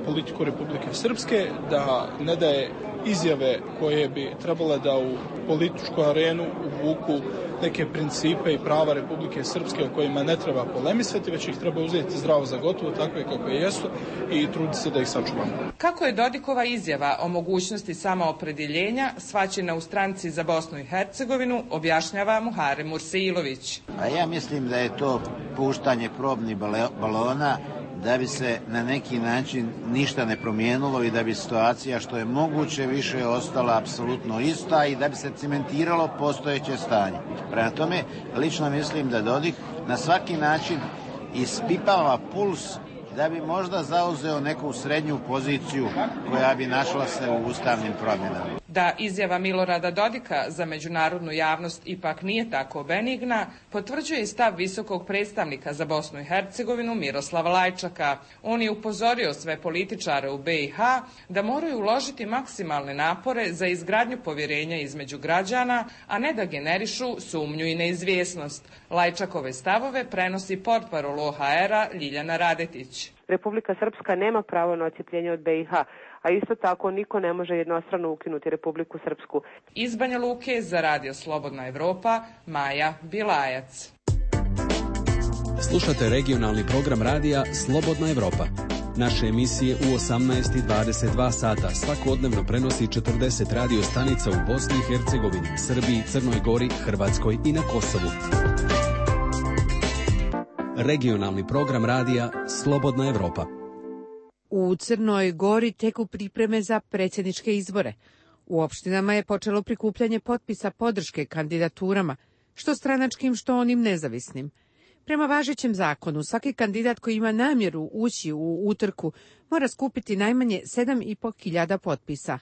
politiku Republike Srpske, da ne daje izjave koje bi trebale da u političku arenu uvuku neke principe i prava Republike Srpske o kojima ne treba polemisati, već ih treba uzeti zdravo za gotovo, takve kakve jesu, i truditi se da ih sačuvamo. Kako je Dodikova izjava o mogućnosti samoopredjeljenja shvaćena u stranci za Bosnu i Hercegovinu, objašnjava Muharem Mursilović. A ja mislim da je to puštanje probnih balona da bi se na neki način ništa ne promijenilo i da bi situacija što je moguće više ostala apsolutno ista i da bi se cementiralo postojeće stanje. Prema tome, lično mislim da Dodik na svaki način ispipava puls da bi možda zauzeo neku srednju poziciju koja bi našla se u ustavnim promjenama. Da izjava Milorada Dodika za međunarodnu javnost ipak nije tako benigna, potvrđuje i stav visokog predstavnika za Bosnu i Hercegovinu Miroslava Lajčaka. On je upozorio sve političare u be i ha da moraju uložiti maksimalne napore za izgradnju povjerenja između građana, a ne da generišu sumnju i neizvjesnost. Lajčakove stavove prenosi portparol o ha era Ljiljana Radetić. Republika Srpska nema pravo na odcjepljenje od B i H, a isto tako niko ne može jednostrano ukinuti Republiku Srpsku. Iz Banja Luke za Radio Slobodna Evropa, Maja Bilajac. Slušate regionalni program radija Slobodna Evropa. Naše emisije u osamnaest i dvadeset dva sata svakodnevno prenosi četrdeset radio stanica u Bosni i Hercegovini, Srbiji, Crnoj Gori, Hrvatskoj i na Kosovu. Regionalni program radija Slobodna Evropa. U Crnoj Gori teku pripreme za predsjedničke izbore. U opštinama je počelo prikupljanje potpisa podrške kandidaturama, što stranačkim, što onim nezavisnim. Prema važećem zakonu, svaki kandidat koji ima namjeru ući u utrku mora skupiti najmanje sedam i po hiljada potpisa.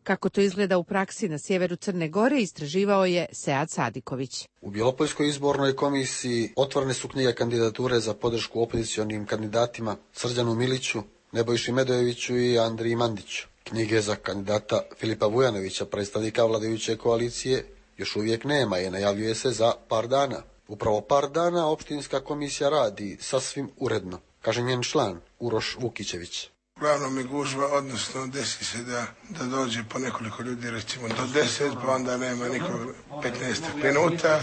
Kako to izgleda u praksi na sjeveru Crne Gore, istraživao je Sead Sadiković. U Bjelopoljskoj izbornoj komisiji otvorene su knjige kandidature za podršku opozicionim kandidatima Srđanu Miliću, Nebojši Medojeviću i Andriji Mandiću. Knjige za kandidata Filipa Vujanovića, predstavnika vladajuće koalicije, još uvijek nema i najavljuje se za par dana. Upravo par dana opštinska komisija radi sasvim uredno, kaže njen član Uroš Vukićević. Uglavnom je gužva, odnosno desi se da, da dođe po nekoliko ljudi, recimo do deset, pa onda nema nikog petnaest minuta,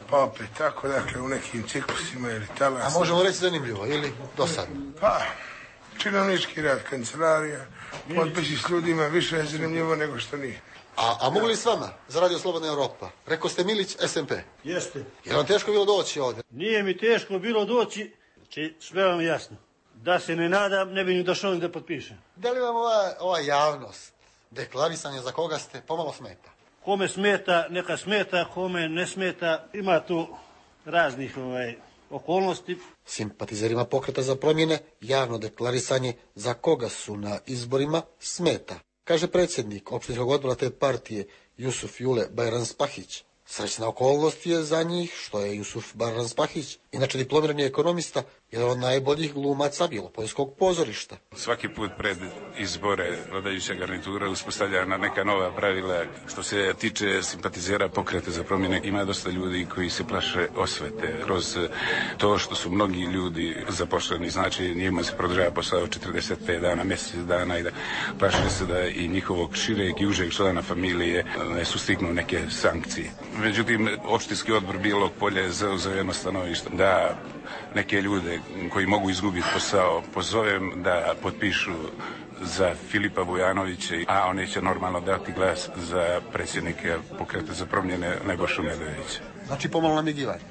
pa opet tako, dakle u nekim ciklusima ili talasima. A možemo reći zanimljivo ili dosadno? Pa, činovnički rad, kancelarija, potpisi s ljudima više je zanimljivo nego što nije. A, a mogu li s vama za Radio Slobodna Evropa? Rekao ste Milić, S M P. Jeste. Je vam teško bilo doći ovdje? Nije mi teško bilo doći, či sve vam jasno. Da se ne nadam, ne bi ni došao da potpišem. Da li vam ova, ova javnost, deklarisanje za koga ste, pomalo smeta? Kome smeta, neka smeta, kome ne smeta, ima tu raznih ovaj, okolnosti. Simpatizerima pokreta za promjene, javno deklarisanje za koga su na izborima smeta, kaže predsjednik opštinskog odbora te partije Jusuf Jule Bajranspahić. Srećna okolnost je za njih što je Jusuf Bajranspahić, inače diplomirani ekonomista, jedan od najboljih glumaca Bjelopoljskog pozorišta. Svaki put pred izbore vladajuća garnitura uspostavlja na neka nova pravila. Što se tiče simpatizera pokreta za promjene, ima dosta ljudi koji se plaše osvete kroz to što su mnogi ljudi zaposleni, znači njima se produžava posao četrdeset pet dana, mjesec dana i da plaše se da i njihovog šireg i užeg člana familije ne sustignu neke sankcije. Međutim, opštinski odbor Bijelog Polja je zauzeo jedno stanovište da neke ljude koji mogu izgubiti posao pozovem da potpišu za Filipa Vujanovića, a oni će normalno dati glas za predsjednika pokreta za promjene Nebojšu Medojevića. Znači pomalo namigivanje.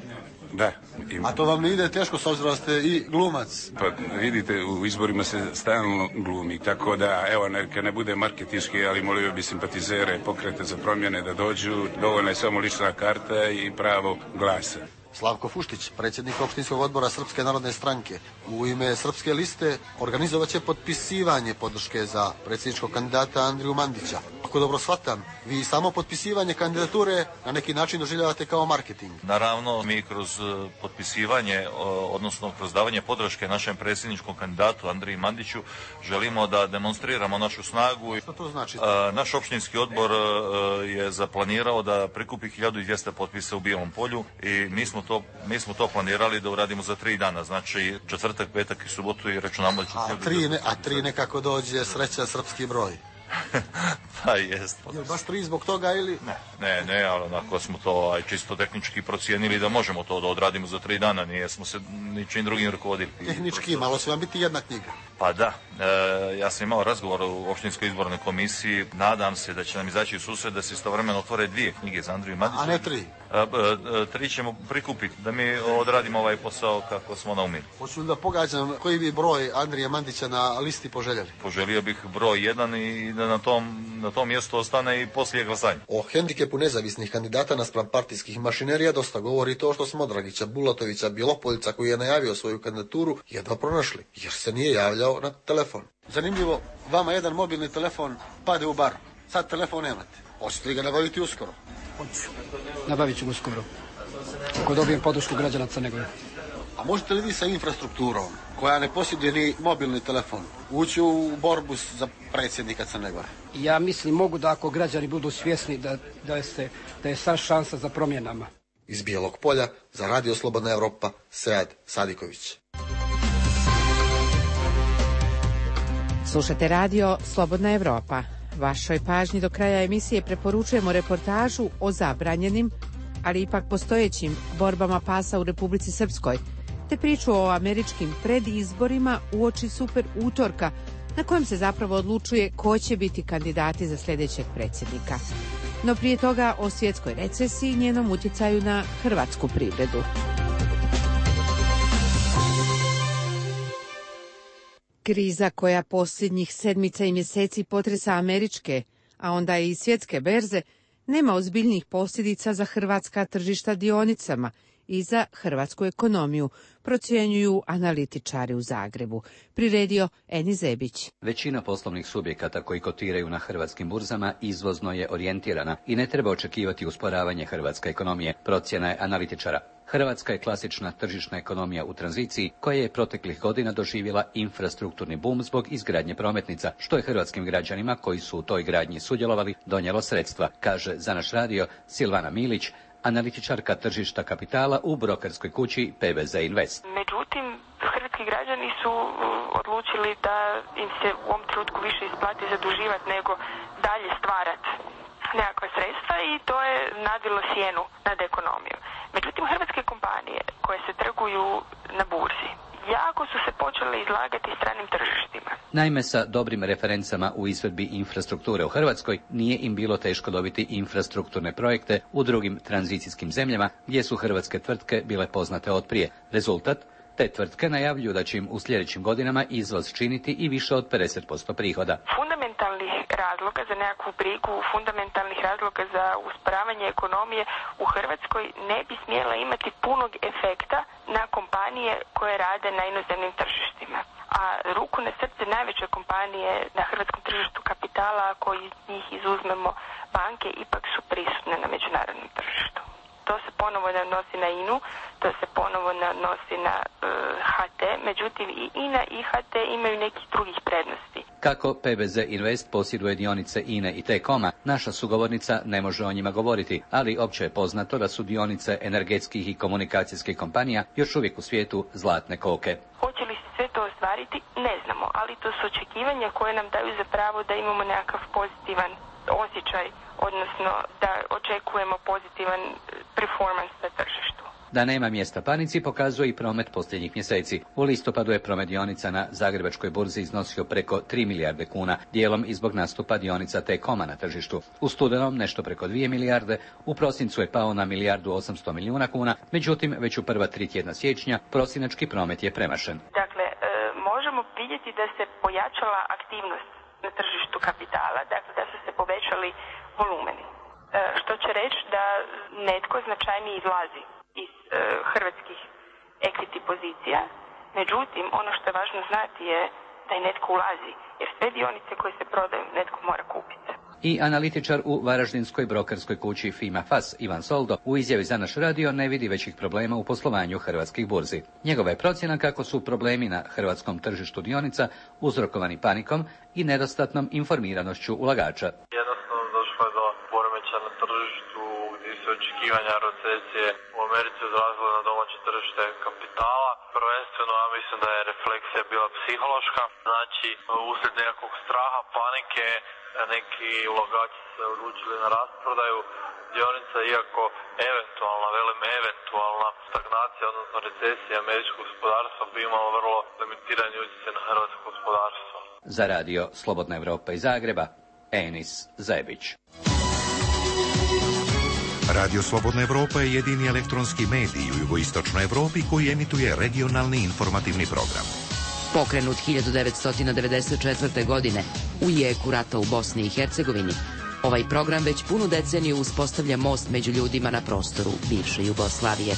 Da. Ima. A to vam ne ide teško s obzirom da ste i glumac? Pa vidite, u izborima se stalno glumi, tako da, evo, neka ne bude marketinški, ali molio bi simpatizere pokreta za promjene da dođu, dovoljna je samo lična karta i pravo glasa. Slavko Fuštić, predsjednik opštinskog odbora Srpske narodne stranke, u ime Srpske liste organizovat će potpisivanje podrške za predsjedničkog kandidata Andriju Mandića. Ako dobro shvatam, vi samo potpisivanje kandidature na neki način doživljavate kao marketing. Naravno, mi kroz potpisivanje, odnosno kroz davanje podrške našem predsjedničkom kandidatu Andriji Mandiću, želimo da demonstriramo našu snagu. Što to znači? Naš opštinski odbor je zaplanirao da prikupi hiljadu dvjesto potpisa u Bijelom Polju i mi smo To, mi smo to planirali da uradimo za tri dana, znači četvrtak, petak i subotu i računamo da će... A tri, ne, a tri nekako dođe sreća srpski broj. Pa jest. Jel baš tri zbog toga ili? Ne, ne, ne, ali onako smo to aj, čisto tehnički procijenili da možemo to da odradimo za tri dana, nije smo se ničim drugim rukovodili. Tehnički, malo će vam biti jedna knjiga. Pa da, e, ja sam imao razgovor u opštinskoj izbornoj komisiji, nadam se da će nam izaći u susret da se istovremeno otvore dvije knjige za Andriju Mandića. A ne tri? E, e, tri ćemo prikupiti da mi odradimo ovaj posao kako smo naumili. Hoću da pogađam koji bi broj Andrija Mandića na listi poželjeli? Poželio bih broj jedan i da na tom, na tom mjestu ostane i poslije glasanja. O hendikepu nezavisnih kandidata naspram partijskih mašinerija dosta govori to što smo Dragića Bulatovića Bjelopoljca, koji je najavio svoju kandidaturu, jedva pronašli, jer se nije javljao na telefon. Zanimljivo, vama jedan mobilni telefon pade u bar. Sad telefon nemate. Hoćete li ga nabaviti uskoro? Hoću. Nabavit ću uskoro. Ako dobijem podršku građana Crne Gore. A možete li vi sa infrastrukturom, koja ne posjeduje ni mobilni telefon, ući u borbu za predsjednika Crne Gore? Ja mislim mogu da ako građani budu svjesni da, da, je, se, da je sad šansa za promjenama. Iz Bijelog Polja za Radio Slobodna Evropa, Sead Sadiković. Slušate radio Slobodna Evropa. Vašoj pažnji do kraja emisije preporučujemo reportažu o zabranjenim, ali ipak postojećim borbama pasa u Republici Srpskoj, te priču o američkim predizborima uoči super utorka, na kojem se zapravo odlučuje ko će biti kandidati za sljedećeg predsjednika. No prije toga o svjetskoj recesiji i njenom utjecaju na hrvatsku privredu. Kriza koja posljednjih sedmica i mjeseci potresa američke, a onda i svjetske berze, nema ozbiljnih posljedica za hrvatska tržišta dionicama i za hrvatsku ekonomiju, procjenjuju analitičari u Zagrebu. Priredio Eni Zebić. Većina poslovnih subjekata koji kotiraju na hrvatskim burzama izvozno je orijentirana i ne treba očekivati usporavanje hrvatske ekonomije, procjena je analitičara. Hrvatska je klasična tržišna ekonomija u tranziciji koja je proteklih godina doživjela infrastrukturni bum zbog izgradnje prometnica, što je hrvatskim građanima koji su u toj gradnji sudjelovali donijelo sredstva, kaže za naš radio Silvana Milić, analitičarka tržišta kapitala u brokerskoj kući P B Z Invest. Međutim, hrvatski građani su odlučili da im se u ovom trenutku više isplati zaduživati nego dalje stvarati nekakva sredstva i to je nadvilo sjenu nad ekonomiju. Međutim, hrvatske kompanije koje se trguju na burzi jako su se počele izlagati stranim tržištima. Naime, sa dobrim referencama u izvedbi infrastrukture u Hrvatskoj nije im bilo teško dobiti infrastrukturne projekte u drugim tranzicijskim zemljama gdje su hrvatske tvrtke bile poznate od prije. Rezultat? Te tvrtke najavljuju da će im u sljedećim godinama izvoz činiti i više od pedeset posto prihoda. Fundamentalnih razloga za nekakvu brigu, fundamentalnih razloga za usporavanje ekonomije u Hrvatskoj ne bi smjela imati punog efekta na kompanije koje rade na inozemnim tržištima. A ruku na srce, najveće kompanije na hrvatskom tržištu kapitala, ako iz njih izuzmemo banke, ipak su prisutne na međunarodnom tržištu. To se ponovo ne odnosi na I N U, to se ponovo ne odnosi na uh, H T, međutim i I N A i H T imaju nekih drugih prednosti. Kako P B Z Invest posjeduje dionice I N E i T-Coma, naša sugovornica ne može o njima govoriti, ali opće je poznato da su dionice energetskih i komunikacijskih kompanija još uvijek u svijetu zlatne koke. Hoće li se sve to ostvariti? Ne znamo, ali to su očekivanja koje nam daju za pravo da imamo nekakav pozitivan osjećaj, odnosno da očekujemo pozitivan performans na tržištu. Da nema mjesta panici pokazuje i promet posljednjih mjeseci. U listopadu je promet dionica na Zagrebačkoj burzi iznosio preko tri milijarde kuna, dijelom i zbog nastupa dionica T-Coma na tržištu. U studenom nešto preko dvije milijarde, u prosincu je pao na milijardu osamsto milijuna kuna, međutim već u prva tri tjedna siječnja prosinački promet je premašen. Dakle, e, možemo vidjeti da se pojačala aktivnost na tržištu kapitala, dakle da su se povećali volumeni. E, što će reći da netko značajnije izlazi iz e, hrvatskih equity pozicija, međutim ono što je važno znati je da i netko ulazi, jer sve dionice koje se prodaju netko mora kupiti. I analitičar u varaždinskoj brokerskoj kući Fima F A S Ivan Soldo u izjavi za naš radio ne vidi većih problema u poslovanju hrvatskih burzi. Njegova je procjena kako su problemi na hrvatskom tržištu dionica uzrokovani panikom i nedostatnom informiranošću ulagača. Jednostavno došlo je do poremećaja na tržištu gdje se očekivanja recesije u Americi odrazile na domaće tržište kapitala. Prvenstveno ja mislim da je refleksija bila psihološka, znači uslijed nekakvog straha, panike, neki ulagači se odlučili na rasprodaju dionica, iako eventualna, velim eventualna stagnacija, odnosno recesija američkog gospodarstva bi imala vrlo limitirani utjecaj na hrvatsko gospodarstvo. Za radio Slobodna Evropa iz Zagreba, Enis Zebić. Radio Slobodna Evropa je jedini elektronski medij u jugoistočnoj Evropi koji emituje regionalni informativni program. Pokrenut hiljadu devetsto devedeset četvrte. godine u jeku rata u Bosni i Hercegovini, ovaj program već punu deceniju uspostavlja most među ljudima na prostoru bivše Jugoslavije.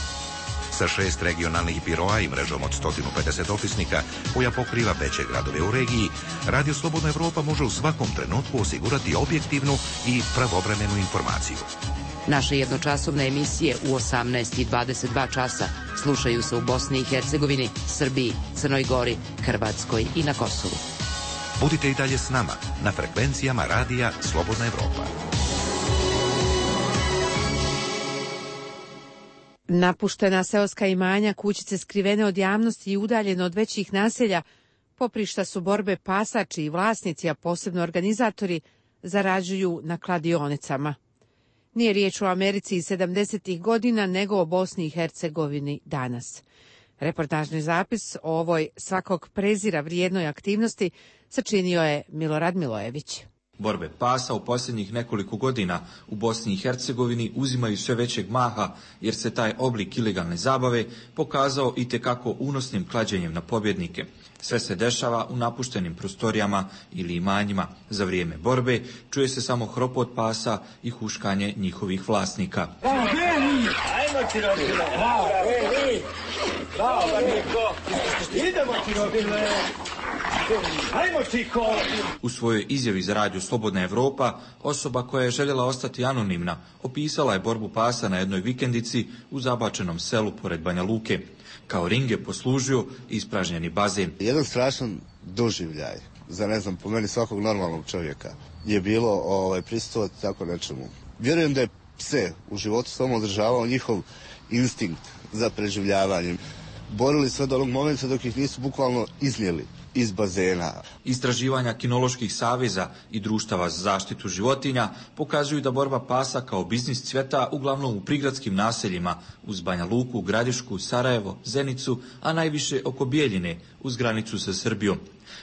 Sa šest regionalnih biroa i mrežom od sto pedeset ofisnika koja pokriva veće gradove u regiji, Radio Slobodna Evropa može u svakom trenutku osigurati objektivnu i pravovremenu informaciju. Naše jednočasovne emisije u osamnaest i dvadeset dva časa slušaju se u Bosni i Hercegovini, Srbiji, Crnoj Gori, Hrvatskoj i na Kosovu. Budite i dalje s nama na frekvencijama radija Slobodna Evropa. Napuštena seoska imanja, kućice skrivene od javnosti i udaljene od većih naselja poprišta su borbe pasa čiji vlasnici, a posebno organizatori, zarađuju na kladionicama. Nije riječ o Americi iz sedamdesetih godina, nego o Bosni i Hercegovini danas. Reportažni zapis o ovoj svakog prezira vrijednoj aktivnosti sačinio je Milorad Milojević. Borbe pasa u posljednjih nekoliko godina u Bosni i Hercegovini uzimaju sve većeg maha, jer se taj oblik ilegalne zabave pokazao itekako unosnim klađenjem na pobjednike. Sve se dešava u napuštenim prostorijama ili imanjima. Za vrijeme borbe čuje se samo hropot pasa i huškanje njihovih vlasnika. U svojoj izjavi za radio Slobodna Evropa, osoba koja je željela ostati anonimna opisala je borbu pasa na jednoj vikendici u zabačenom selu pored Banja Luke. Kao ring je poslužio ispražnjeni bazen. Jedan strašan doživljaj, za ne znam, po meni svakog normalnog čovjeka, je bilo ovaj, prisustvovati tako nečemu. Vjerujem da je pse u životu samo održavao njihov instinkt za preživljavanjem. Borili sve do onog momenta dok ih nisu bukvalno iznijeli iz bazena. Istraživanja kinoloških saveza i društava za zaštitu životinja pokazuju da borba pasa kao biznis cvjeta uglavnom u prigradskim naseljima uz Banja Luku, Gradišku, Sarajevo, Zenicu, a najviše oko Bijeljine uz granicu sa Srbijom.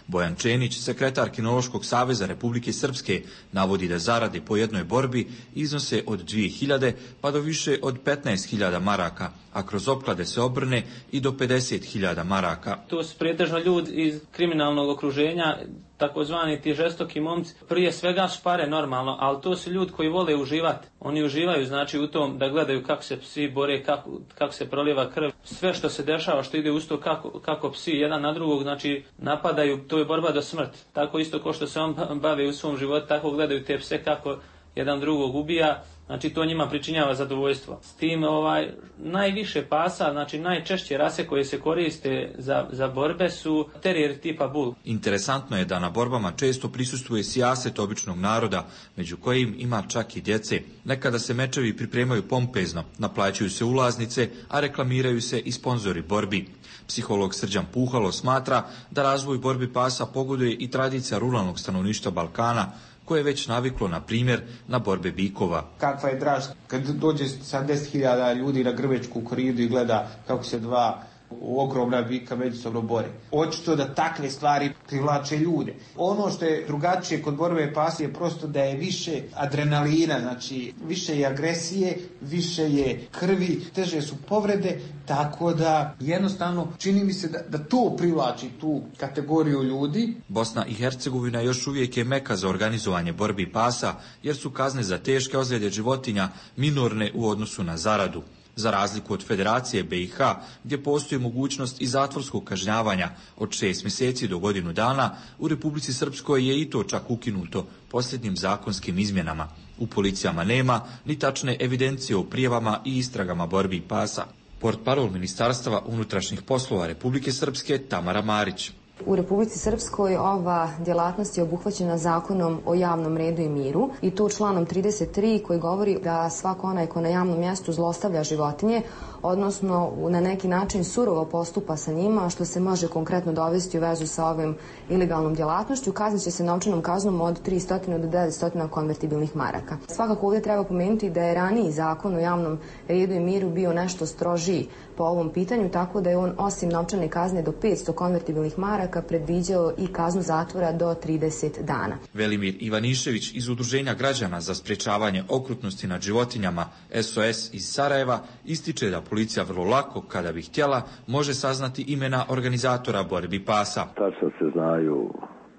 Bojan Čenić, sekretar Kinološkog saveza Republike Srpske, navodi da zarade po jednoj borbi iznose od dvije hiljade pa do više od petnaest hiljada maraka, a kroz opklade se obrne i do pedeset hiljada maraka. To su pretežno ljudi iz kriminalnog okruženja, takozvani ti žestoki momci. Prije svega su pare normalno, ali to su ljudi koji vole uživati. Oni uživaju znači u tom da gledaju kako se psi bore, kako, kako se prolijeva krv. Sve što se dešava, što ide uz to kako, kako psi jedan na drugog, znači napadaju, to je borba do smrti. Tako isto kao što se on bavi u svom životu, tako gledaju te pse kako jedan drugog ubija. Znači to njima pričinjava zadovoljstvo. S tim ovaj, najviše pasa, znači najčešće rase koje se koriste za, za borbe su terijer tipa bull. Interesantno je da na borbama često prisustvuje sijaset običnog naroda, među kojim ima čak i djece. Nekada se mečevi pripremaju pompezno, naplaćuju se ulaznice, a reklamiraju se i sponzori borbi. Psiholog Srđan Puhalo smatra da razvoj borbi pasa pogoduje i tradicija ruralnog stanovništva Balkana, koje je već naviklo, na primjer, na borbe bikova. Kakva je draž kad dođe sedamdeset hiljada ljudi na Grvečku koridu i gleda kako se dva ogromna bika međusobno bore. Očito da takve stvari privlače ljude. Ono što je drugačije kod borbe pasa je prosto da je više adrenalina, znači više je agresije, više je krvi, teže su povrede, tako da jednostavno čini mi se da, da to privlači tu kategoriju ljudi. Bosna i Hercegovina još uvijek je meka za organizovanje borbi pasa, jer su kazne za teške ozljede životinja minorne u odnosu na zaradu. Za razliku od Federacije B i H, gdje postoji mogućnost i zatvorskog kažnjavanja od šest mjeseci do godinu dana, u Republici Srpskoj je i to čak ukinuto posljednjim zakonskim izmjenama. U policijama nema ni tačne evidencije o prijavama i istragama borbi pasa. Portparol Ministarstva unutrašnjih poslova Republike Srpske Tamara Marić. U Republici Srpskoj ova djelatnost je obuhvaćena zakonom o javnom redu i miru i to članom trideset tri koji govori da svako onaj ko na javnom mjestu zlostavlja životinje, odnosno na neki način surovo postupa sa njima, što se može konkretno dovesti u vezu sa ovim ilegalnom djelatnošću, kaznit će se novčanom kaznom od tristo do devetsto konvertibilnih maraka. Svakako ovdje treba pomenuti da je raniji zakon o javnom redu i miru bio nešto strožiji po ovom pitanju, tako da je on osim novčane kazne do petsto konvertibilnih maraka predviđao i kaznu zatvora do trideset dana. Velimir Ivanišević iz Udruženja građana za sprječavanje okrutnosti nad životinjama S O S iz Sarajeva ističe da policija vrlo lako, kada bi htjela, može saznati imena organizatora borbi pasa. Tačno se znaju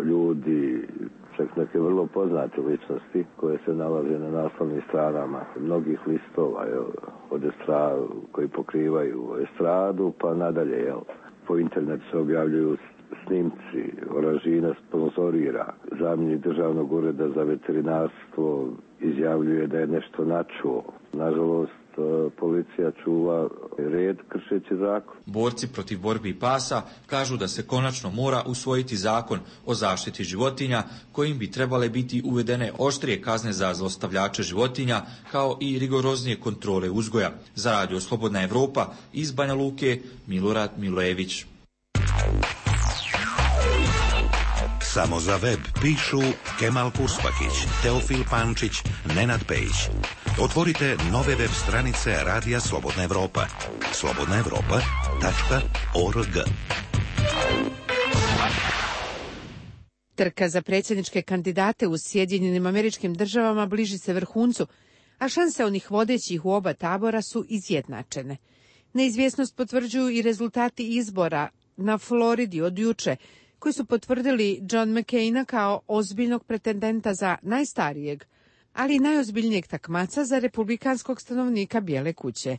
ljudi, čak neke vrlo poznate ličnosti koje se nalaze na naslovnim stranama mnogih listova, jel, od estradu, koji pokrivaju estradu pa nadalje. Jel. Po internetu se objavljuju snimci, Oražina sponzorira, zamjenik državnog ureda za veterinarstvo izjavljuje da je nešto načuo. Nažalost, policija čuva red kršeći zakon. Borci protiv borbi pasa kažu da se konačno mora usvojiti zakon o zaštiti životinja, kojim bi trebale biti uvedene oštrije kazne za zlostavljače životinja, kao i rigoroznije kontrole uzgoja. Za radio Slobodna Evropa iz Banja Luke, Milorad Milojević. Samo za web pišu Kemal Kurspakić, Teofil Pančić, Nenad Pejić. Otvorite nove web stranice Radija Slobodna Evropa. slobodna evropa tačka org. Trka za predsjedničke kandidate u Sjedinjenim Američkim Državama bliži se vrhuncu, a šanse onih vodećih u oba tabora su izjednačene. Neizvjesnost potvrđuju i rezultati izbora na Floridi od juče, koji su potvrdili John McCaina kao ozbiljnog pretendenta za najstarijeg, ali i najozbiljnijeg takmaca za republikanskog stanovnika Bijele kuće.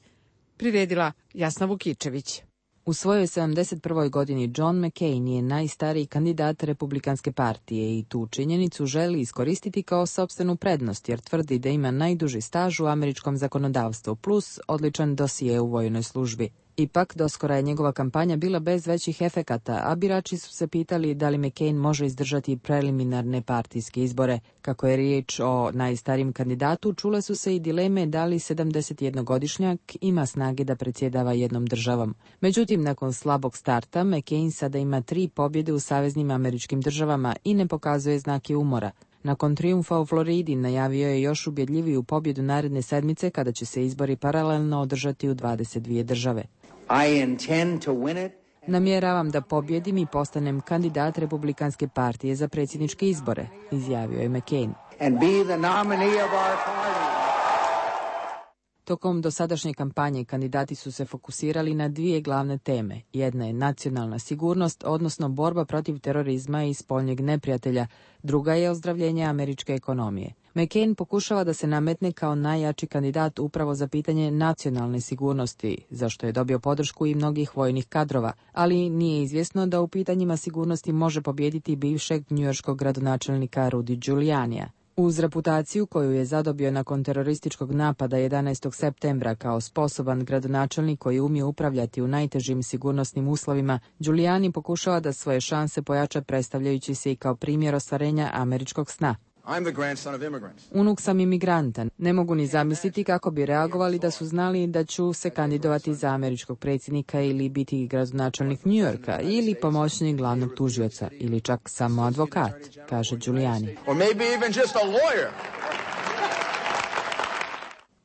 Priredila Jasna Vukičević. U svojoj sedamdeset prvoj godini John McCain je najstariji kandidat Republikanske partije i tu činjenicu želi iskoristiti kao sopstvenu prednost jer tvrdi da ima najduži staž u američkom zakonodavstvu plus odličan dosije u vojnoj službi. Ipak, doskora je njegova kampanja bila bez većih efekata, a birači su se pitali da li McCain može izdržati preliminarne partijske izbore. Kako je riječ o najstarijem kandidatu, čule su se i dileme da li sedamdesetjednogodišnjak ima snage da predsjedava jednom državom. Međutim, nakon slabog starta, McCain sada ima tri pobjede u saveznim američkim državama i ne pokazuje znake umora. Nakon trijumfa u Floridi najavio je još ubjedljiviju pobjedu naredne sedmice kada će se izbori paralelno održati u dvadeset dvije države. I intend to win it. Namjeravam da pobjedim i postanem kandidat Republikanske partije za predsjedničke izbore, izjavio je McCain. And be the nominee of our party. Tokom dosadašnje kampanje kandidati su se fokusirali na dvije glavne teme. Jedna je nacionalna sigurnost, odnosno borba protiv terorizma i spoljnjeg neprijatelja. Druga je ozdravljenje američke ekonomije. McCain pokušava da se nametne kao najjači kandidat upravo za pitanje nacionalne sigurnosti, za što je dobio podršku i mnogih vojnih kadrova, ali nije izvjesno da u pitanjima sigurnosti može pobijediti bivšeg njujorškog gradonačelnika Rudy Giulianija. Uz reputaciju koju je zadobio nakon terorističkog napada jedanaestog septembra kao sposoban gradonačelnik koji umije upravljati u najtežim sigurnosnim uslovima, Giuliani pokušava da svoje šanse pojača predstavljajući se i kao primjer ostvarenja američkog sna. I'm the grandson of immigrants. Unuk sam imigranta. Ne mogu ni zamisliti kako bi reagovali da su znali da ću se kandidovati za američkog predsjednika ili biti gradonačelnik New Yorka ili pomoćnik glavnog tužioca ili čak samo advokat, kaže Giuliani. Or maybe even just a lawyer.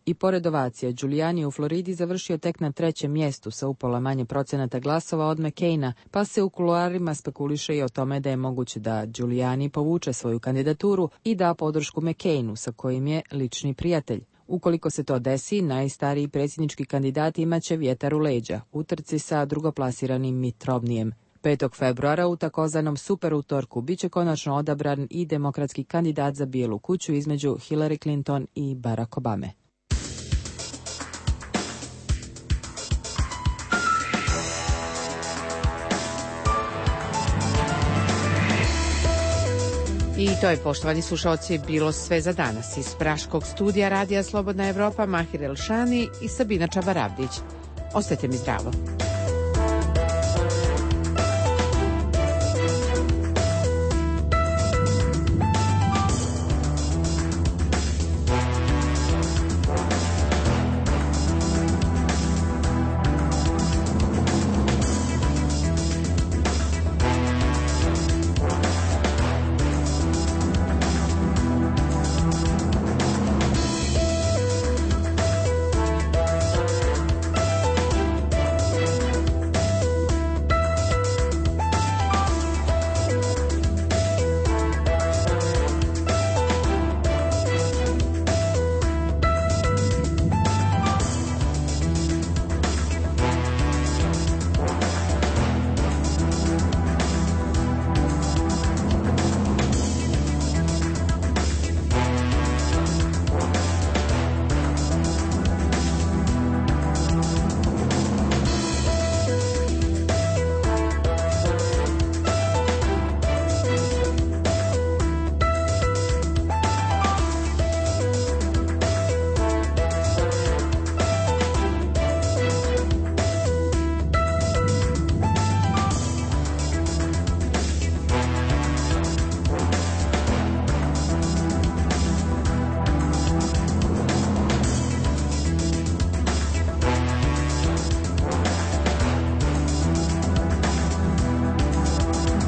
I pored ovacija, Giuliani u Floridi završio tek na trećem mjestu sa upola manje procenata glasova od McCaina, pa se u kuloarima spekuliše i o tome da je moguće da Giuliani povuče svoju kandidaturu i da podršku McCainu, sa kojim je lični prijatelj. Ukoliko se to desi, najstariji predsjednički kandidat imaće vjetar u leđa, u trci sa drugoplasiranim Mitt Romneyem. petog februara u takozvanom super utorku biće konačno odabran i demokratski kandidat za Bijelu kuću između Hillary Clinton i Barack Obame. I to je, poštovani slušalci, bilo sve za danas. Iz Praškog studija Radija Slobodna Evropa, Mahir Elšani i Sabina Čabaravdić. Ostajte mi zdravo.